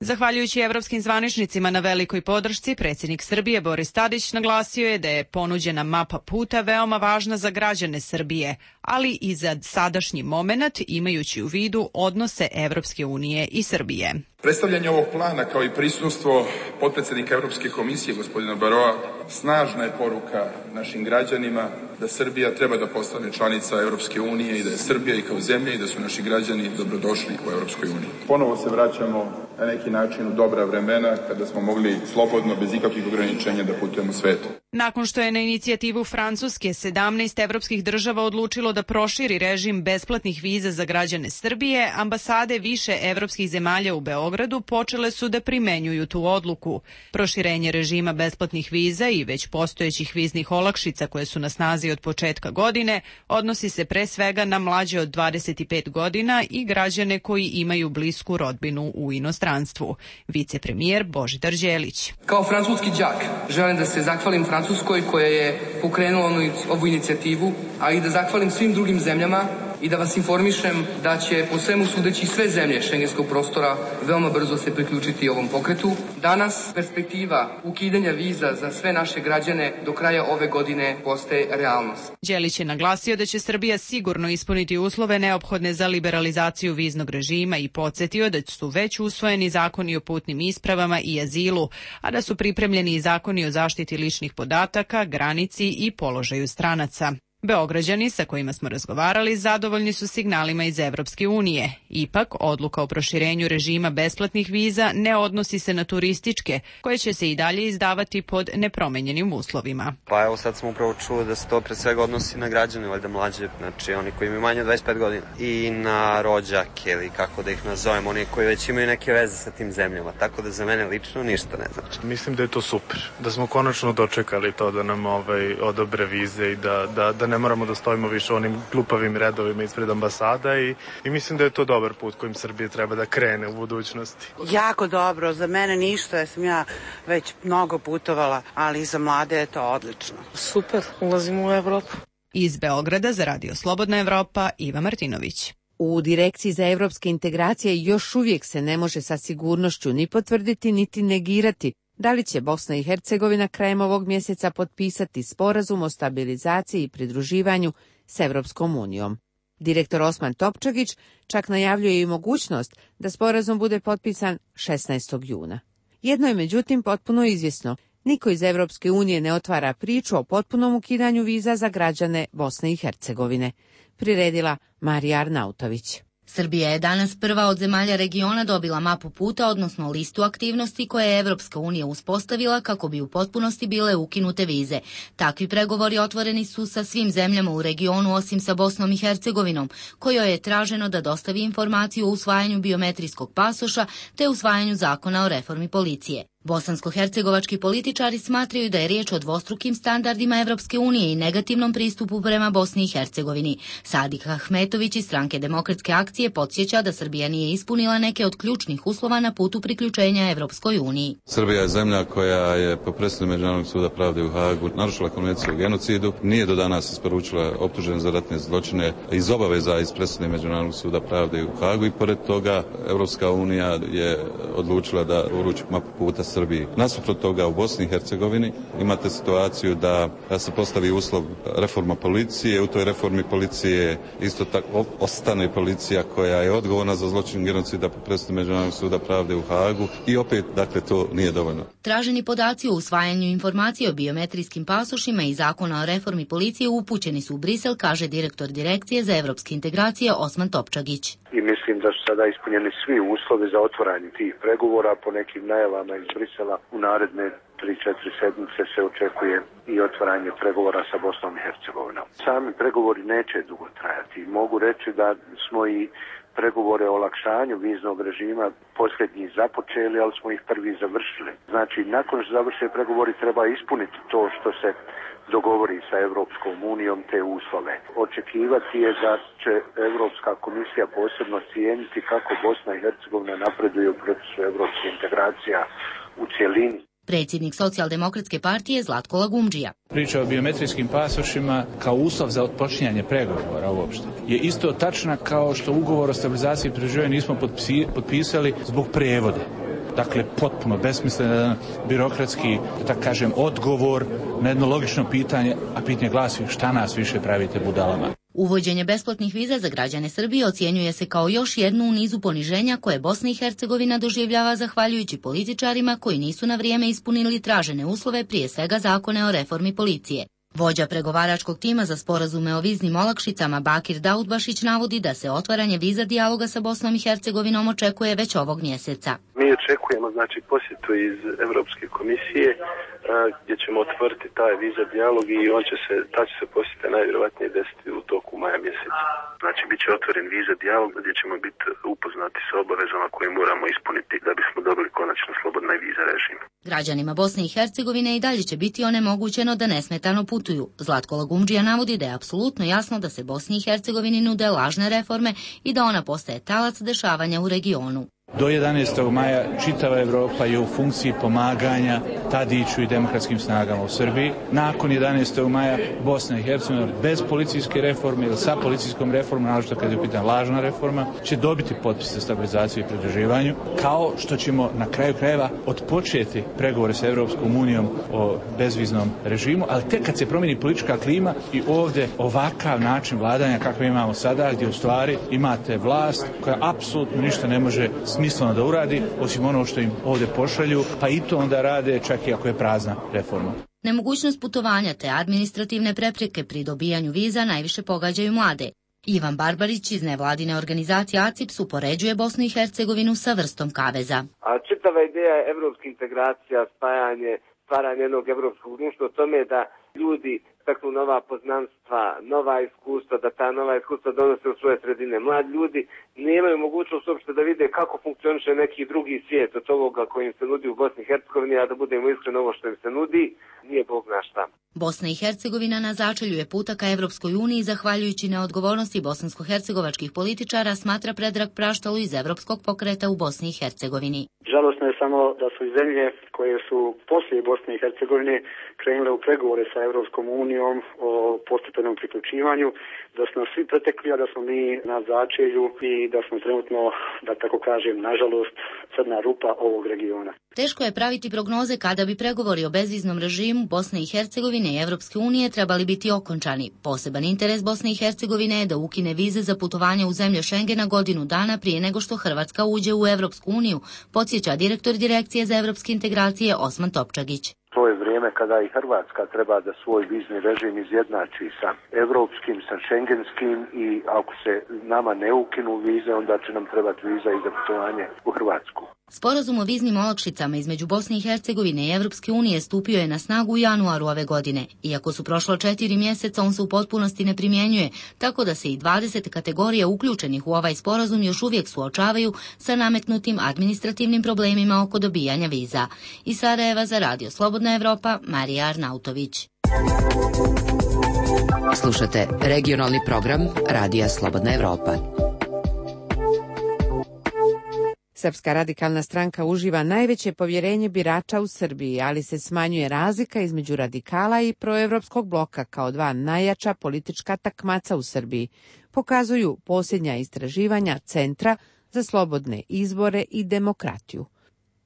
Zahvaljujući evropskim zvaničnicima na velikoj podršci, predsjednik Srbije Boris Tadić naglasio je da je ponuđena mapa puta veoma važna za građane Srbije, ali i za sadašnji moment, imajući u vidu odnose Evropske unije i Srbije. Predstavljanje ovog plana kao i prisustvo potpredsjednika Evropske komisije gospodina Barroa snažna je poruka našim građanima da Srbija treba da postane članica Evropske unije i da je Srbija i kao zemlja i da su naši građani dobrodošli u Evropskoj uniji. Ponovo se vraćamo na neki način u dobra vremena kada smo mogli slobodno, bez ikakvih ograničenja da putujemo svetu. Nakon što je na inicijativu Francuske sedamnaest evropskih država odlučilo da proširi režim besplatnih viza za građane Srbije, ambasade više evropskih zemalja u Beogradu počele su da primenjuju tu odluku. Proširenje režima besplatnih viza i već postojećih viznih olakšica koje su na snazi od početka godine odnosi se pre svega na mlađe od dvadeset pet godina i građane koji imaju blisku rodbinu u inostranstvu. Vicepremijer Božidar Đelić. Kao francuski đak želim da se zahvalim Francuskoj koja je pokrenula ovu inicijativu, a i da zahvalim svim drugim zemljama i da vas informišem da će po svemu sudeći sve zemlje šengenskog prostora veoma brzo se priključiti ovom pokretu. Danas perspektiva ukidanja viza za sve naše građane do kraja ove godine postaje realnost. Đelić je naglasio da će Srbija sigurno ispuniti uslove neophodne za liberalizaciju viznog režima i podsjetio da su već usvojeni zakoni o putnim ispravama i azilu, a da su pripremljeni i zakoni o zaštiti ličnih podataka, granici i položaju stranaca. Beograđani sa kojima smo razgovarali zadovoljni su signalima iz Evropske unije. Ipak, odluka o proširenju režima besplatnih viza ne odnosi se na turističke, koje će se i dalje izdavati pod nepromenjenim uslovima. Pa evo sad smo upravo čuli da se to pre svega odnosi na građane, valjda mlađe, znači oni koji imaju manje od dvadeset pet godina. I na rođake ili kako da ih nazovem, oni koji već imaju neke veze sa tim zemljama. Tako da za mene lično ništa ne znači. Mislim da je to super, da smo konačno dočekali to da nam ovaj, odobre vize i da, da, da ne moramo da stojimo više u onim glupavim redovima ispred ambasada i, i mislim da je to dobar put kojim Srbija treba da krene u budućnosti. Jako dobro, za mene ništa, ja sam ja već mnogo putovala, ali za mlade je to odlično. Super, ulazimo u Evropu. Iz Beograda za Radio Slobodna Evropa, Iva Martinović. U Direkciji za evropske integracije još uvijek se ne može sa sigurnošću ni potvrditi niti negirati da li će Bosna i Hercegovina krajem ovog mjeseca potpisati sporazum o stabilizaciji i pridruživanju s Evropskom unijom. Direktor Osman Topčagić čak najavljuje i mogućnost da sporazum bude potpisan šesnaestog juna. Jedno je međutim potpuno izvjesno, niko iz Evropske unije ne otvara priču o potpunom ukidanju viza za građane Bosne i Hercegovine, priredila Marija Arnautović. Srbija je danas prva od zemalja regiona dobila mapu puta, odnosno listu aktivnosti koje je Evropska unija uspostavila kako bi u potpunosti bile ukinute vize. Takvi pregovori otvoreni su sa svim zemljama u regionu osim sa Bosnom i Hercegovinom, kojoj je traženo da dostavi informaciju o usvajanju biometrijskog pasoša te usvajanju zakona o reformi policije. Bosansko-hercegovački političari smatraju da je riječ o dvostrukim standardima Evropske unije i negativnom pristupu prema Bosni i Hercegovini. Sadik Ahmetović iz Stranke demokratske akcije podsjeća da Srbija nije ispunila neke od ključnih uslova na putu priključenja Evropskoj uniji. Srbija je zemlja koja je po presudi Međunarodnog suda pravde u Hagu narušila konvenciju o genocidu, nije do danas isporučila optužen za ratne zločine iz obaveza iz presude Međunarodnog suda pravde u Hagu i pored toga Evropska unija je odlučila da uruči mapu puta Srbiji. Nasuprot toga u Bosni i Hercegovini imate situaciju da, da se postavi uslov reforma policije, u toj reformi policije isto tako ostane policija koja je odgovorna za zločin genocida po presudi Međunarodnog suda pravde u Hagu i opet, dakle, to nije dovoljno. Traženi podaci o usvajanju informacije o biometrijskim pasošima i zakona o reformi policije upućeni su u Brisel, kaže direktor Direkcije za evropske integracije Osman Topčagić. I mislim da su sada ispunjeni svi uslovi za otvaranje tih pregovora. Po nekim najavama iz Brisela u naredne tri četiri sedmice se očekuje i otvaranje pregovora sa Bosnom i Hercegovinom. Sami pregovori neće dugo trajati. Mogu reći da smo i pregovore o olakšanju viznog režima posljednji započeli, ali smo ih prvi završili. Znači, nakon što završe pregovori treba ispuniti to što se dogovori sa Evropskom unijom, te uslove. Očekivati je da će Evropska komisija posebno cijeniti kako Bosna i Hercegovina napreduje u procesu evropskih integracija u cjelini. Predsjednik Socijaldemokratske partije Zlatko Lagumdžija. Priča o biometrijskim pasošima kao uslov za otpočinjanje pregovora uopšte je isto tačna kao što ugovor o stabilizaciji i pridruživanju nismo potpisali zbog prevode. Dakle, potpuno besmislen birokratski, da tako kažem, odgovor na jedno logično pitanje, a pitanje glasi šta nas više pravite budalama. Uvođenje besplatnih viza za građane Srbije ocjenjuje se kao još jednu u nizu poniženja koje Bosna i Hercegovina doživljava zahvaljujući političarima koji nisu na vrijeme ispunili tražene uslove, prije svega zakone o reformi policije. Vođa pregovaračkog tima za sporazume o viznim olakšicama Bakir Daudbašić navodi da se otvaranje viza dijaloga sa Bosnom i Hercegovinom očekuje već ovog mjeseca. Mi očekujemo znači posjetu iz Europske komisije gdje ćemo otvoriti taj viza dijalog i on će se, ta će se posjeta najvjerojatnije desiti u toku maja mjeseca. Znači bit će otvoren viza dijalog gdje ćemo biti upoznati sa obavezama koje moramo ispuniti da bismo dobili konačno slobodna viza režim. Građanima Bosne i Hercegovine i dalje će biti onemogućeno da nesmetano putuju. Zlatko Lagumdžija navodi da je apsolutno jasno da se Bosni i Hercegovini nude lažne reforme i da ona postaje talac dešavanja u regionu. Do jedanaestog maja čitava Evropa je u funkciji pomaganja Tadiću i demokratskim snagama u Srbiji. Nakon jedanaestog maja Bosna i Hercegovina bez policijske reforme ili sa policijskom reformom, naročito kad je pitana lažna reforma, će dobiti potpis za stabilizaciju i pridruživanju, kao što ćemo na kraju krajeva odpočeti pregovore sa Evropskom unijom o bezviznom režimu, ali tek kad se promijeni politička klima i ovdje ovakav način vladanja kakav imamo sada, gdje u stvari imate vlast koja apsolutno ništa ne može smisleno da uradi, osim ono što im ovdje pošalju, pa i to onda rade čak i ako je prazna reforma. Nemogućnost putovanja te administrativne prepreke pri dobijanju viza najviše pogađaju mlade. Ivan Barbarić iz nevladine organizacije A C I P S upoređuje Bosnu i Hercegovinu sa vrstom kaveza. A čitava ideja evropske integracija, spajanje, stvaranje jednog evropskog društva o tome da ljudi steknu nova poznanstva, nova iskustva, da ta nova iskustva donose u svoje sredine. Mladi ljudi nemaju mogućnost uopšte da vide kako funkcioniše neki drugi svijet od ovoga koji im se nudi u Bosni i Hercegovini, a da budemo iskreni, ovo što im se nudi nije Bog zna šta. Bosna i Hercegovina na začelju je puta ka Evropskoj uniji zahvaljujući neodgovornosti bosansko-hercegovačkih političara, smatra Predrag Praštalu iz Evropskog pokreta u Bosni i Hercegovini. Žalosno je samo da su i zemlje koje su poslije Bosne i Hercegovine krenule u pregovore sa Evropskom unijom o postepenom priključivanju, da smo svi pretekli, a da smo mi na začelju i da smo trenutno, da tako kažem, nažalost, crna rupa ovog regiona. Teško je praviti prognoze kada bi pregovori o bezviznom režimu Bosne i Hercegovine i Evropske unije trebali biti okončani. Poseban interes Bosne i Hercegovine je da ukine vize za putovanje u zemlje Šengena godinu dana prije nego što Hrvatska uđe u Evropsku uniju, podsjeća direktor Direkcije za evropske integracije Osman Topčagić. To je vrijeme kada i Hrvatska treba da svoj vizni režim izjednači sa evropskim, sa šengenskim i ako se nama ne ukinu vize, onda će nam trebati viza i za putovanje u Hrvatsku. Sporazum o viznim olakšicama između Bosne i Hercegovine i Evropske unije stupio je na snagu u januaru ove godine. Iako su prošlo četiri mjeseca, on se u potpunosti ne primjenjuje, tako da se i dvadeset kategorija uključenih u ovaj sporazum još uvijek suočavaju sa nametnutim administrativnim problemima oko dobijanja viza. Iz Sarajeva za Radio Slobodna Evropa, Marija Arnautović. Slušate regionalni program Radija Slobodna Evropa. Srpska radikalna stranka uživa najveće povjerenje birača u Srbiji, ali se smanjuje razlika između radikala i proevropskog bloka kao dva najjača politička takmaca u Srbiji, pokazuju posljednja istraživanja Centra za slobodne izbore i demokratiju.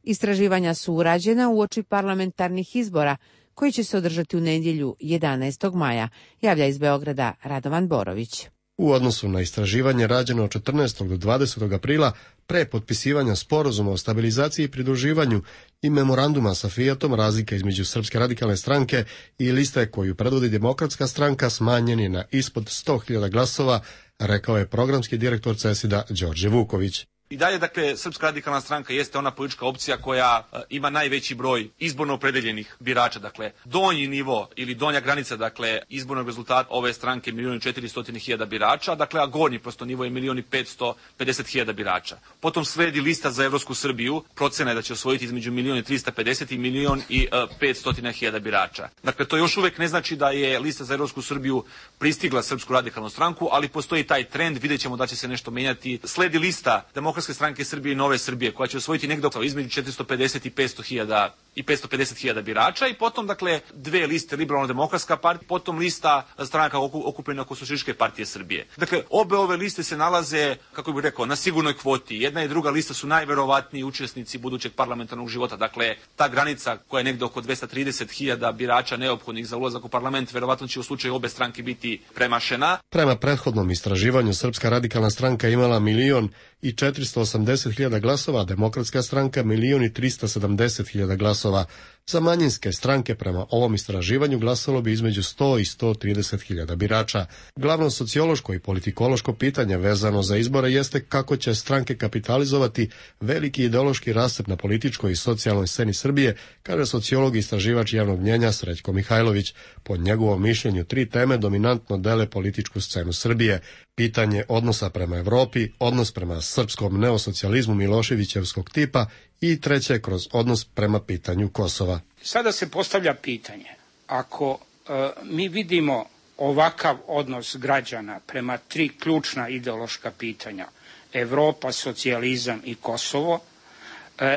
Istraživanja su urađena uoči parlamentarnih izbora koji će se održati u nedjelju jedanaestog maja, javlja iz Beograda Radovan Borović. U odnosu na istraživanje rađeno od četrnaestog do dvadesetog aprila pre potpisivanja sporazuma o stabilizaciji i pridruživanju i memoranduma sa Fijatom, razlika između Srpske radikalne stranke i liste koju predvodi Demokratska stranka smanjen je na ispod sto hiljada glasova, rekao je programski direktor CESID-a Đorđe Vuković. I dalje, dakle, Srpska radikalna stranka jeste ona politička opcija koja uh, ima najveći broj izborno opredeljenih birača. Dakle, donji nivo ili donja granica, dakle, izbornog rezultata ove stranke milijun i četiristo hiljada birača, dakle, a gornji prosto nivo je milijun i petsto pedeset hiljada birača. Potom sledi lista za Evropsku Srbiju, procena je da će osvojiti između milijun i trista pedeset i milijun i petsto hiljada birača. Dakle, to još uvijek ne znači da je lista za Evropsku Srbiju pristigla Srpsku radikalnu stranku, ali postoji taj trend, vidjet ćemo da će se nešto menjati. Sledi lista Demokratske stranke Srbije i Nove Srbije, koja će osvojiti negdje između četiristo pedeset i petsto hiljada i petsto pedeset hiljada birača, i potom, dakle, dve liste, Liberalno-demokratska partija, potom lista stranaka okupljena oko Socijalističke partije Srbije. Dakle, obe ove liste se nalaze, kako bih rekao, na sigurnoj kvoti. Jedna i druga lista su najverovatniji učesnici budućeg parlamentarnog života. Dakle, ta granica koja je negdje oko dvesta trideset hiljada birača neophodnih za ulazak u parlament, verovatno će u slučaju obe stranke biti premašena. Prema prethodnom istraživanju, Srpska radikalna stranka imala milion i četiristo osamdeset hiljada glasova, a Demokratska stranka milion i trista sedamdeset hiljada glasova. Za manjinske stranke prema ovom istraživanju glasalo bi između sto i sto trideset hiljada birača. Glavno sociološko i politikološko pitanje vezano za izbore jeste kako će stranke kapitalizovati veliki ideološki rascep na političkoj i socijalnoj sceni Srbije, kaže sociolog i istraživač javnog mnjenja Srećko Mihajlović. Po njegovom mišljenju tri teme dominantno dele političku scenu Srbije. Pitanje odnosa prema Evropi, odnos prema srpskom neosocijalizmu Miloševićevskog tipa i treće kroz odnos prema pitanju Kosova. Sada se postavlja pitanje, ako e, mi vidimo ovakav odnos građana prema tri ključna ideološka pitanja, Evropa, socijalizam i Kosovo,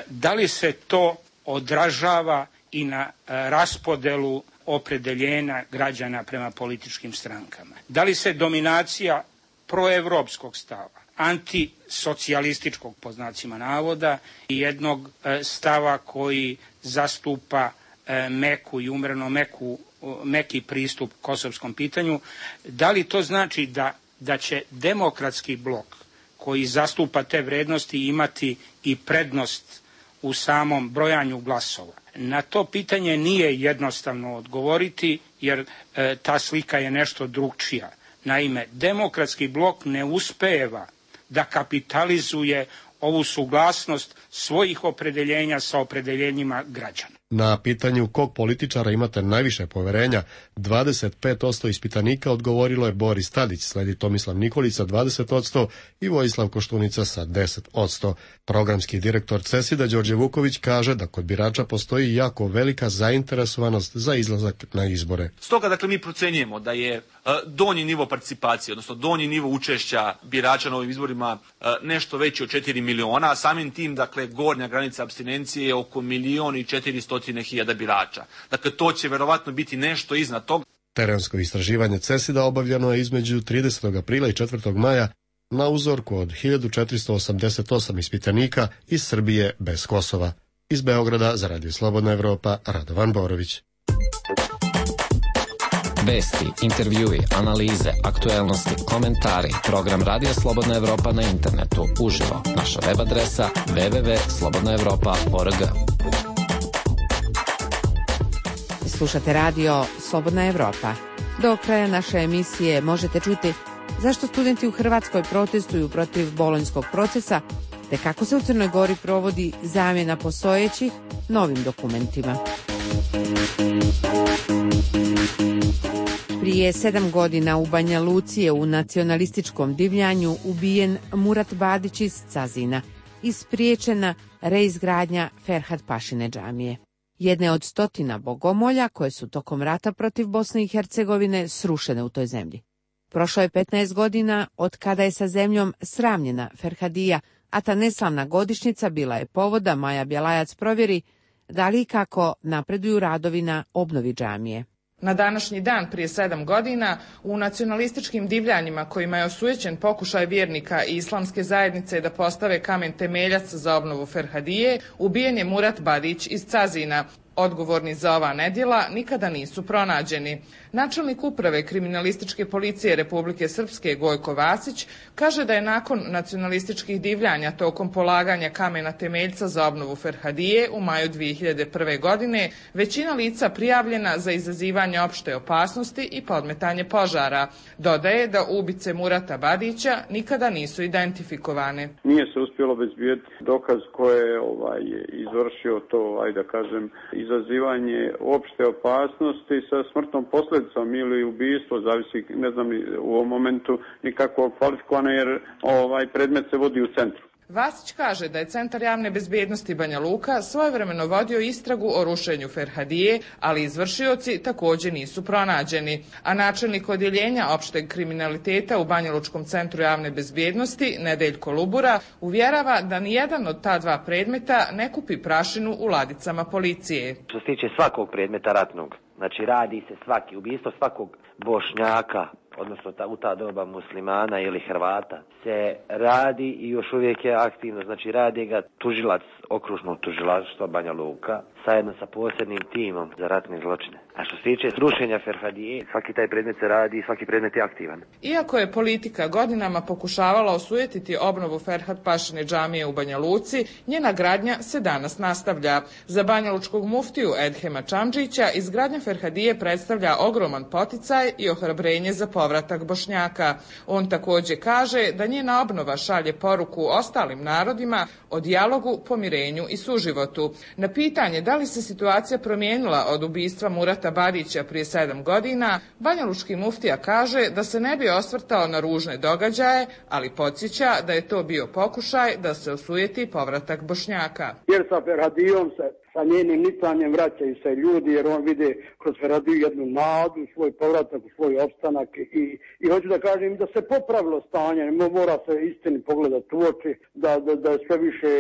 da li se to odražava i na raspodelu opredeljenja građana prema političkim strankama? Da li se dominacija proevropskog stava, antisocijalističkog po znacima navoda i jednog stava koji zastupa meku i umreno meku, meki pristup kosovskom pitanju, da li to znači da, da će demokratski blok koji zastupa te vrednosti imati i prednost u samom brojanju glasova? Na to pitanje nije jednostavno odgovoriti, jer e, ta slika je nešto drugčija. Naime, demokratski blok ne uspeva da kapitalizuje ovu suglasnost svojih opredeljenja sa opredeljenjima građana. Na pitanju kog političara imate najviše poverenja, dvadeset pet posto ispitanika odgovorilo je Boris Tadić, sledi Tomislav Nikolić sa dvadeset posto i Vojislav Koštunica sa deset posto. Programski direktor CESID-a Đorđe Vuković kaže da kod birača postoji jako velika zainteresovanost za izlazak na izbore. Stoga, dakle, mi procenjujemo da je donji nivo participacije, odnosno donji nivo učešća birača na ovim izborima nešto veći od četiri miliona, a samim tim, dakle, gornja granica apstinencije je oko milion i četiristo hiljada birača. Dakle, to će verovatno biti nešto iznad toga. Terensko istraživanje CESID-a obavljeno je između tridesetog aprila i četvrtog maja na uzorku od hiljadu četiristo osamdeset osam ispitanika iz Srbije bez Kosova. Iz Beograda za Radio Slobodna Evropa, Radovan Borović. Vesti, intervjui, analize, aktuelnosti, komentari, program Radio Slobodna Evropa na internetu, uživo, naša web adresa w w w tačka slobodna evropa tačka org. Slušate radio Slobodna Evropa. Do kraja naše emisije možete čuti zašto studenti u Hrvatskoj protestuju protiv bolonjskog procesa, te kako se u Crnoj Gori provodi zamjena postojećih novim dokumentima. Prije sedam godina u Banja Luci je u nacionalističkom divljanju ubijen Murat Badić iz Cazina i spriječena reizgradnja Ferhat Pašine džamije, jedne od stotina bogomolja koje su tokom rata protiv Bosne i Hercegovine srušene u toj zemlji. Prošlo je petnaest godina od kada je sa zemljom sravnjena Ferhadija, a ta neslavna godišnjica bila je povod da Maja Bjelajac provjeri da li i kako napreduju radovi na obnovi džamije. Na današnji dan prije sedam godina u nacionalističkim divljanjima kojima je osujećen pokušaj vjernika i islamske zajednice da postave kamen temeljac za obnovu Ferhadije, ubijen je Murat Badić iz Cazina. Odgovorni za ova nedjela nikada nisu pronađeni. Načelnik uprave kriminalističke policije Republike Srpske Gojko Vasić kaže da je nakon nacionalističkih divljanja tokom polaganja kamena temeljca za obnovu Ferhadije u maju dvije hiljade prve. godine većina lica prijavljena za izazivanje opšte opasnosti i podmetanje požara. Dodaje da ubice Murata Badića nikada nisu identifikovane. Nije se uspjelo obezbijeti dokaz ko je ovaj, izvršio to, ajde da kažem, izazivanje opšte opasnosti sa smrtnom posljedicom ili ubijstvo, zavisi, ne znam u ovom momentu nikako kvalifikovano jer ovaj predmet se vodi u centru. Vasić kaže da je Centar javne bezbjednosti Banja Luka svojevremeno vodio istragu o rušenju Ferhadije, ali izvršioci također nisu pronađeni. A načelnik odjeljenja opšteg kriminaliteta u Banjalučkom centru javne bezbjednosti, Nedeljko Lubura, uvjerava da nijedan od ta dva predmeta ne kupi prašinu u ladicama policije. Što se tiče svakog predmeta ratnog, znači radi se svaki, ubijstvo svakog Bošnjaka, odnosno ta, u ta doba muslimana ili Hrvata, se radi i još uvijek je aktivno, znači radi ga tužilac okružnog tužilaštva Banja Luka zajedno sa posebnim timom za ratne zločine. A što se tiče rušenja Ferhadije, svaki taj predmet se radi i svaki predmet je aktivan. Iako je politika godinama pokušavala osujetiti obnovu Ferhat Pašine džamije u Banja Luci, njena gradnja se danas nastavlja. Za banjalučkog muftiju Edhema Čamdžića izgradnja Ferhadije predstavlja ogroman poticaj i ohrabrenje za povratak Bošnjaka. On također kaže da njena obnova šalje poruku ostalim narodima o dijalogu, pomirenju i suživotu. Na pitanje da li se situacija promijenila od ubistva Murata Badića prije sedam godina, banjalučki muftija kaže da se ne bi osvrtao na ružne događaje, ali podsjeća da je to bio pokušaj da se osujeti povratak Bošnjaka. Jer sa Ferhadijom se sa njenim nicanjem vraćaju se ljudi, jer on vide kroz Ferhadiju jednu nadu, svoj povratak, svoj opstanak i, i hoću da kažem da se popravilo stanje, mora se istini pogledati u oči, da, da, da je sve više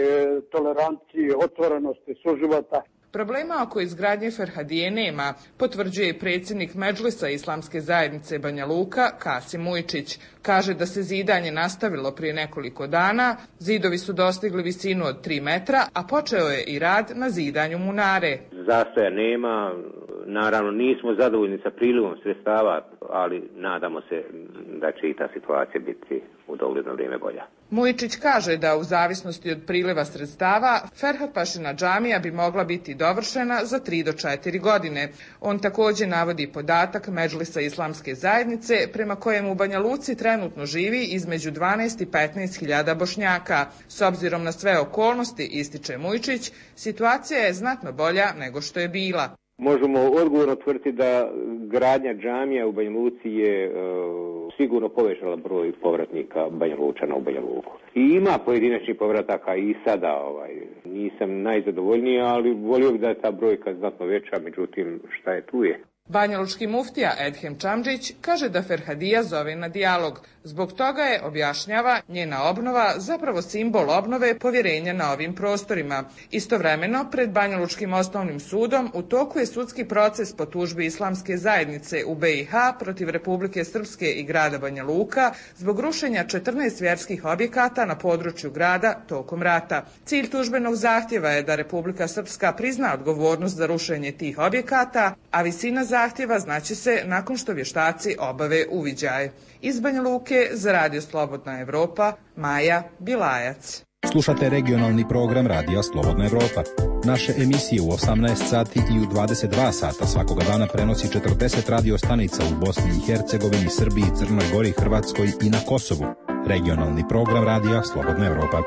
tolerancije, otvorenosti, suživota. Problema oko izgradnje Ferhadije nema, potvrđuje i predsjednik Medžlisa Islamske zajednice Banja Luka, Kasim Ujčić. Kaže da se zidanje nastavilo prije nekoliko dana, zidovi su dostigli visinu od tri metra, a počeo je i rad na zidanju munare. Zastoja nema, naravno nismo zadovoljni sa prilivom sredstava, ali nadamo se da će i ta situacija biti u dogledno vrijeme bolja. Mujičić kaže da u zavisnosti od priliva sredstava Ferhat-pašina džamija bi mogla biti dovršena za tri do četiri godine. On također navodi podatak Medžlisa Islamske zajednice prema kojem u Banja Luci trenutno živi između dvanaest i petnaest hiljada Bošnjaka. S obzirom na sve okolnosti, ističe Mujičić, situacija je znatno bolja nego što je bila. Možemo odgovorno tvrditi da gradnja džamija u Banja Luci je e, sigurno povećala broj povratnika Banja Lučana u Banja Luku. I ima pojedinačnih povrataka i sada, ovaj, nisam najzadovoljniji, ali volio bih da je ta brojka znatno veća, međutim šta je tu je. Banjalučki muftija Edhem Čamdžić kaže da Ferhadija zove na dijalog. Zbog toga je, objašnjava, njena obnova zapravo simbol obnove povjerenja na ovim prostorima. Istovremeno, pred Banjalučkim osnovnim sudom u toku je sudski proces po tužbi Islamske zajednice u B i H protiv Republike Srpske i grada Banja Luka zbog rušenja četrnaest vjerskih objekata na području grada tokom rata. Cilj tužbenog zahtjeva je da Republika Srpska prizna odgovornost za rušenje tih objekata, a visina zahtjeva znaće se nakon što vještaci obave uviđaj. Iz Banja Luke za Radio Slobodna Evropa, Maja Bilajac. Slušate regionalni program Radija Slobodna Evropa. Naše emisije u osamnaest sati i u dvadeset dva sata svakoga dana prenosi četrdeset radio stanica u Bosni i Hercegovini, Srbiji, Crnoj Gori, Hrvatskoj i na Kosovu. Regionalni program Radija Slobodna Evropa.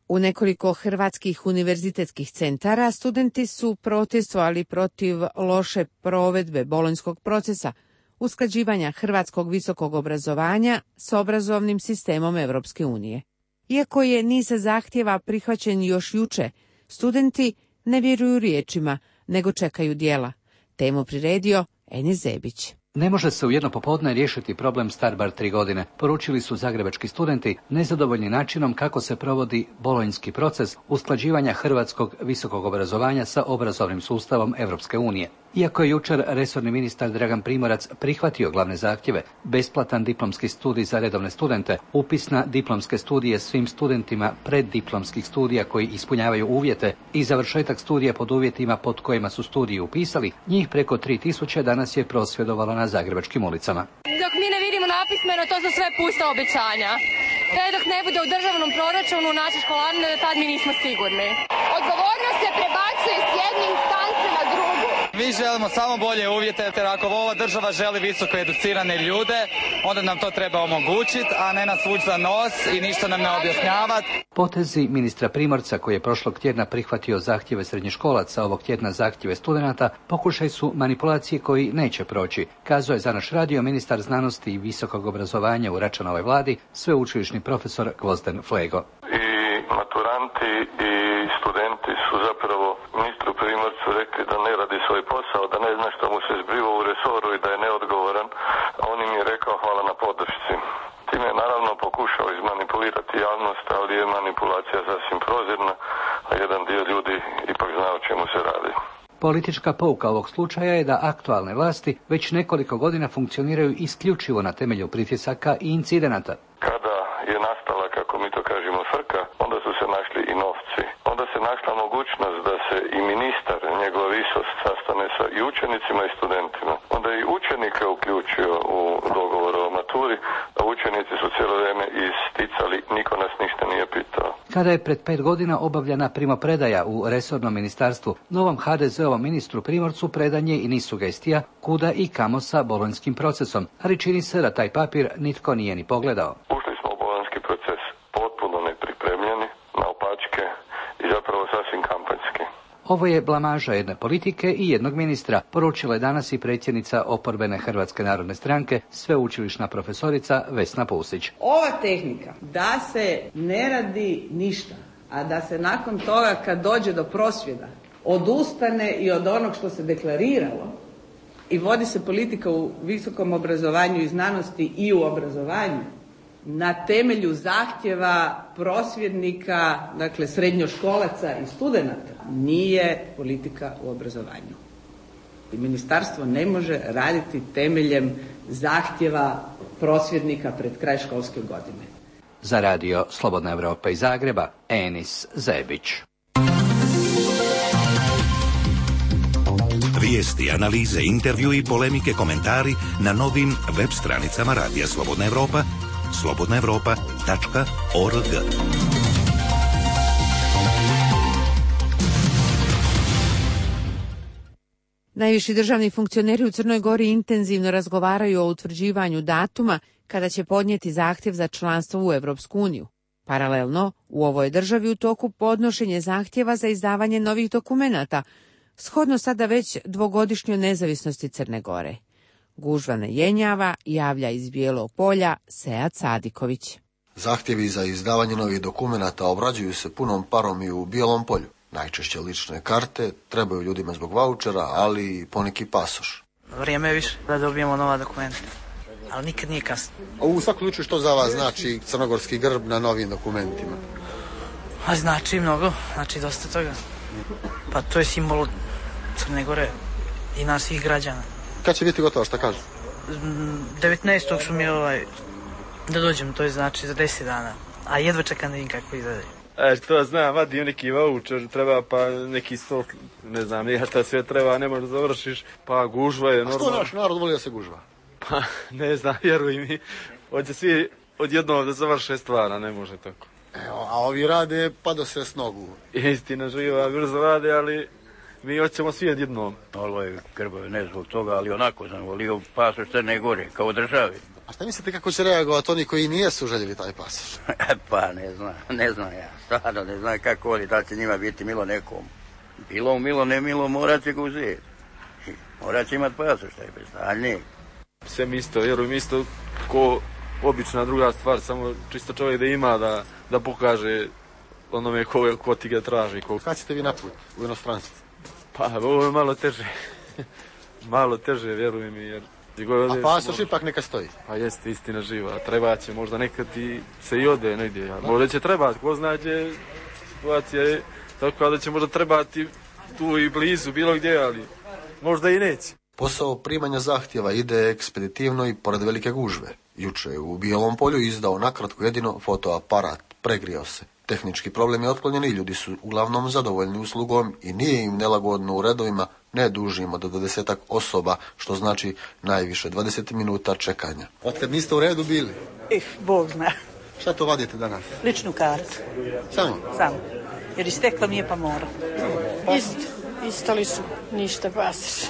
U nekoliko hrvatskih univerzitetskih centara studenti su protestovali protiv loše provedbe bolonjskog procesa, usklađivanja hrvatskog visokog obrazovanja s obrazovnim sistemom Europske unije. Iako je niz zahtjeva prihvaćen još juče, studenti ne vjeruju riječima, nego čekaju djela. Temu priredio Eni Zebić. Ne može se u jedno popodne riješiti problem star bar tri godine, poručili su zagrebački studenti, nezadovoljni načinom kako se provodi bolonjski proces usklađivanja hrvatskog visokog obrazovanja sa obrazovnim sustavom Europske unije. Iako je jučer resorni ministar Dragan Primorac prihvatio glavne zahtjeve, besplatan diplomski studij za redovne studente, upis na diplomske studije svim studentima preddiplomskih studija koji ispunjavaju uvjete i završetak studija pod uvjetima pod kojima su studiji upisali, njih preko tri tisuće danas je prosvjedovalo na zagrebačkim ulicama. Dok mi ne vidimo napismeno, to su sve pusta obećanja. Te dok ne bude u državnom proračunu naše školarine, tad mi nismo sigurni. Odgovornost se prebacuje s jedne instance na drugu. Mi želimo samo bolje uvjete, jer ako ova država želi visoko educirane ljude, onda nam to treba omogućiti, a ne nas vući za nos i ništa nam ne objašnjavati. Potezi ministra Primorca, koji je prošlog tjedna prihvatio zahtjeve srednjoškolaca, ovog tjedna zahtjeve studenata, pokušaj su manipulacije koji neće proći, kazao je za naš radio ministar znanosti i visokog obrazovanja u Račanovoj vladi, sveučilišni profesor Gvozden Flego. I maturanti i studenti su zapravo ministru Primorcu rekli da ne radi svoj posao, da ne zna što mu se zbiva u resoru i da je neodgovoran. On im je rekao hvala na podršci. Time je naravno pokušao izmanipulirati javnost, ali je manipulacija sasvim prozirna, a jedan dio ljudi ipak zna o čemu se radi. Politička pouka ovog slučaja je da aktualne vlasti već nekoliko godina funkcioniraju isključivo na temelju pritisaka i incidenata. Kada je nastala, kako mi to kažemo, frka, onda su se našli i novci. Onda se našla mogućnost da se i ministar, njegova visost, sastane sa i učenicima i studentima. Onda je i učenike uključio u dogovor o maturi, a učenici su cijelo vrijeme isticali, niko nas ništa nije pitao. Kada je pred pet godina obavljena primopredaja u resornom ministarstvu, novom ha de zeovom ministru Primorcu predan je i niz sugestija kuda i kamo sa bolonjskim procesom, ali čini se da taj papir nitko nije ni pogledao. Ušli smo u bolonjski proces potpuno nepripremljeni, naopačke i zapravo sasvim kampanjski. Ovo je blamaža jedne politike i jednog ministra, poručila je danas i predsjednica oporbene Hrvatske narodne stranke, sveučilišna profesorica Vesna Pusić. Ova tehnika da se ne radi ništa, a da se nakon toga kad dođe do prosvjeda odustane i od onog što se deklariralo i vodi se politika u visokom obrazovanju i znanosti i u obrazovanju na temelju zahtjeva prosvjednika, dakle srednjoškolaca i studenata, nije politika u obrazovanju. I ministarstvo ne može raditi temeljem zahtjeva prosvjednika pred kraj školske godine. Za radio Slobodna Evropa iz Zagreba, Enis Zebić. Vijesti, analize, intervju i polemike, komentari na novim web stranicama Radija Slobodna Evropa, slobodna evropa tačka org. Najviši državni funkcioneri u Crnoj Gori intenzivno razgovaraju o utvrđivanju datuma kada će podnijeti zahtjev za članstvo u Evropsku uniju. Paralelno, u ovoj državi u toku podnošenje zahtjeva za izdavanje novih dokumenata, shodno sada već dvogodišnjoj nezavisnosti Crne Gore. Gužva ne jenjava, javlja iz Bijelog Polja Sead Sadiković. Zahtjevi za izdavanje novih dokumenata obrađuju se punom parom i u Bijelom Polju. Najčešće lične karte, trebaju ljudima zbog vaučera, ali i poneki pasoš. Vrijeme je više da dobijemo nova dokumenta, ali nikad nije kasno. A u svakom slučaju što za vas znači crnogorski grb na novim dokumentima? A znači mnogo, znači dosta toga. Pa to je simbol Crne Gore i nas svih građana. Kad će biti gotovo, šta kažu? devetnaestog su mi ovaj, da dođem, to je znači za deset dana. A jedva čekam da vidim kako izgleda. E, što znam, vadim neki voucher, treba pa neki sto, ne znam, nije šta sve treba, ne možeš završiš, pa gužva je normalno. A što naš narod voli da se gužva? Pa, ne znam, vjeruj mi, hoće svi odjednom da završe stvar, a ne može tako. Evo, a ovi rade pa do se s nogu. Istina živa, brzo rade, ali mi hoćemo svi odjednom. Ovo je grbovi, ne zbog toga, ali onako sam volio pasoš Crne Gore, kao državi. A šta mislite kako će reagovati oni koji nijesu željeli taj pasoš? Pa ne znam, ne znam ja, stvarno ne znam kako oni, da će njima biti milo nekom. Bilo milo, ne milo, morat će ga uzeti. Morat će imati pasoš, taj bez daljnjeg. Sve mi isto, vjerujem isto, ko obična druga stvar, samo čisto čovjek da ima, da, da pokaže onome ko, ko ti ga traži. Ko... Kada ćete vi naput u inostranstvu? Pa ovo je malo teže, malo teže, vjerujem mi, jer... A pasoš ipak neka stoji. Pa jeste, istina živa. Treba će možda nekad i se i ode negdje. Možda će trebati, ko zna gdje situacija je tako da će možda trebati tu i blizu, bilo gdje, ali možda i neće. Posao primanja zahtjeva ide ekspeditivno i pored velike gužve. Juče je u Bijelom Polju izdao nakratko jedino fotoaparat, pregrijao se. Tehnički problem je otklonjen i ljudi su uglavnom zadovoljni uslugom i nije im nelagodno u redovima, ne dužimo do dvadesetak osoba, što znači najviše dvadeset minuta čekanja. Otkad niste u redu bili? Ih, Bog zna. Šta to vadite danas? Ličnu kartu. Samo? Samo. Jer istekla mi je pa mora. Isto, isto lično, ništa pasoš.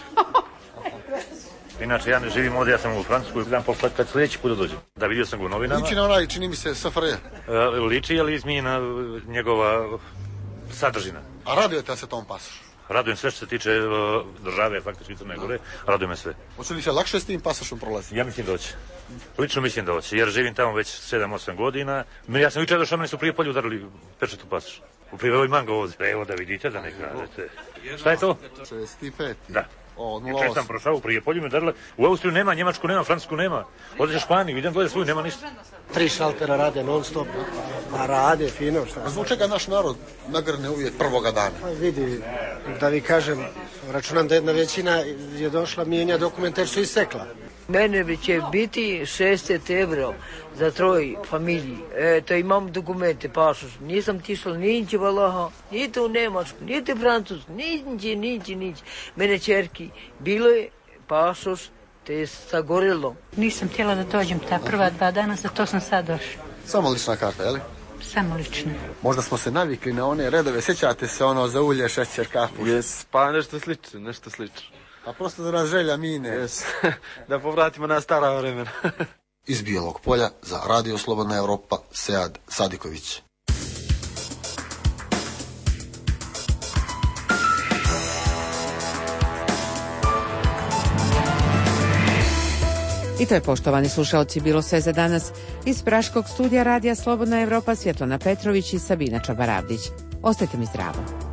Inače, ja ne živim ovdje, ja sam u Francuskoj, znam poslati kad sljedeći put dođem. Da, vidio sam ga u novinama. Liči na onaj, čini mi se, S F R J. E, liči, ali izmijena njegova sadržina. A radujete se tom pasošu? Radujem sve što se tiče uh, države, faktički Crne Gore, radujem me sve. Hoće li se lakše s tim pasošom prolaziti? Ja mislim da hoće. Lično mislim da hoće, jer živim tamo već sedam osam godina. Ja sam jučer došao, meni su prije polju udarili pečat u pasoš. U prije imam ga ovdje. Evo da vidite, da ne kažete. Šta je to? šezdeset pet. Da. Jučer sam prošao u Prijepolju, me darila. U Austriju nema, Njemačku nema, Francusku nema. Odeš u Španiju, idem gledati svoju, nema ništa. Tri šaltera rade non stop, a rade fino šta. Zbog čega naš narod nagrne uvijek prvoga dana? Pa vidi, da vi kažem, računam da jedna većina je došla mijenja dokumente jer su isekla. Mene bi će biti šezdeset evra za troj familiji. Eto, imam dokumente, pasoš. Nisam tišla niđe valaha, niti u Nemačku, niti u Francusku, niđe, niđe, niđe. Mene čerki, bilo je pasoš, te je sagorilo. Nisam htjela da dođem ta prva dva dana, zato sam sad došla. Samo lična karta, je li? Samo lična. Možda smo se navikli na one redove, sjećate se ono za ulje, šećer, kafu? Jes, pa nešto slično, nešto slično. Pa prosto da nas želja mine. Yes. Da povratimo na stara vremena. Iz Bijelog Polja za Radio Slobodna Evropa, Sead Sadiković. I to je, poštovani slušaoci, bilo sve za danas. Iz Praškog studija Radija Slobodna Evropa Svjetlana Petrović i Sabina Čabaravdić. Ostajte mi zdravo.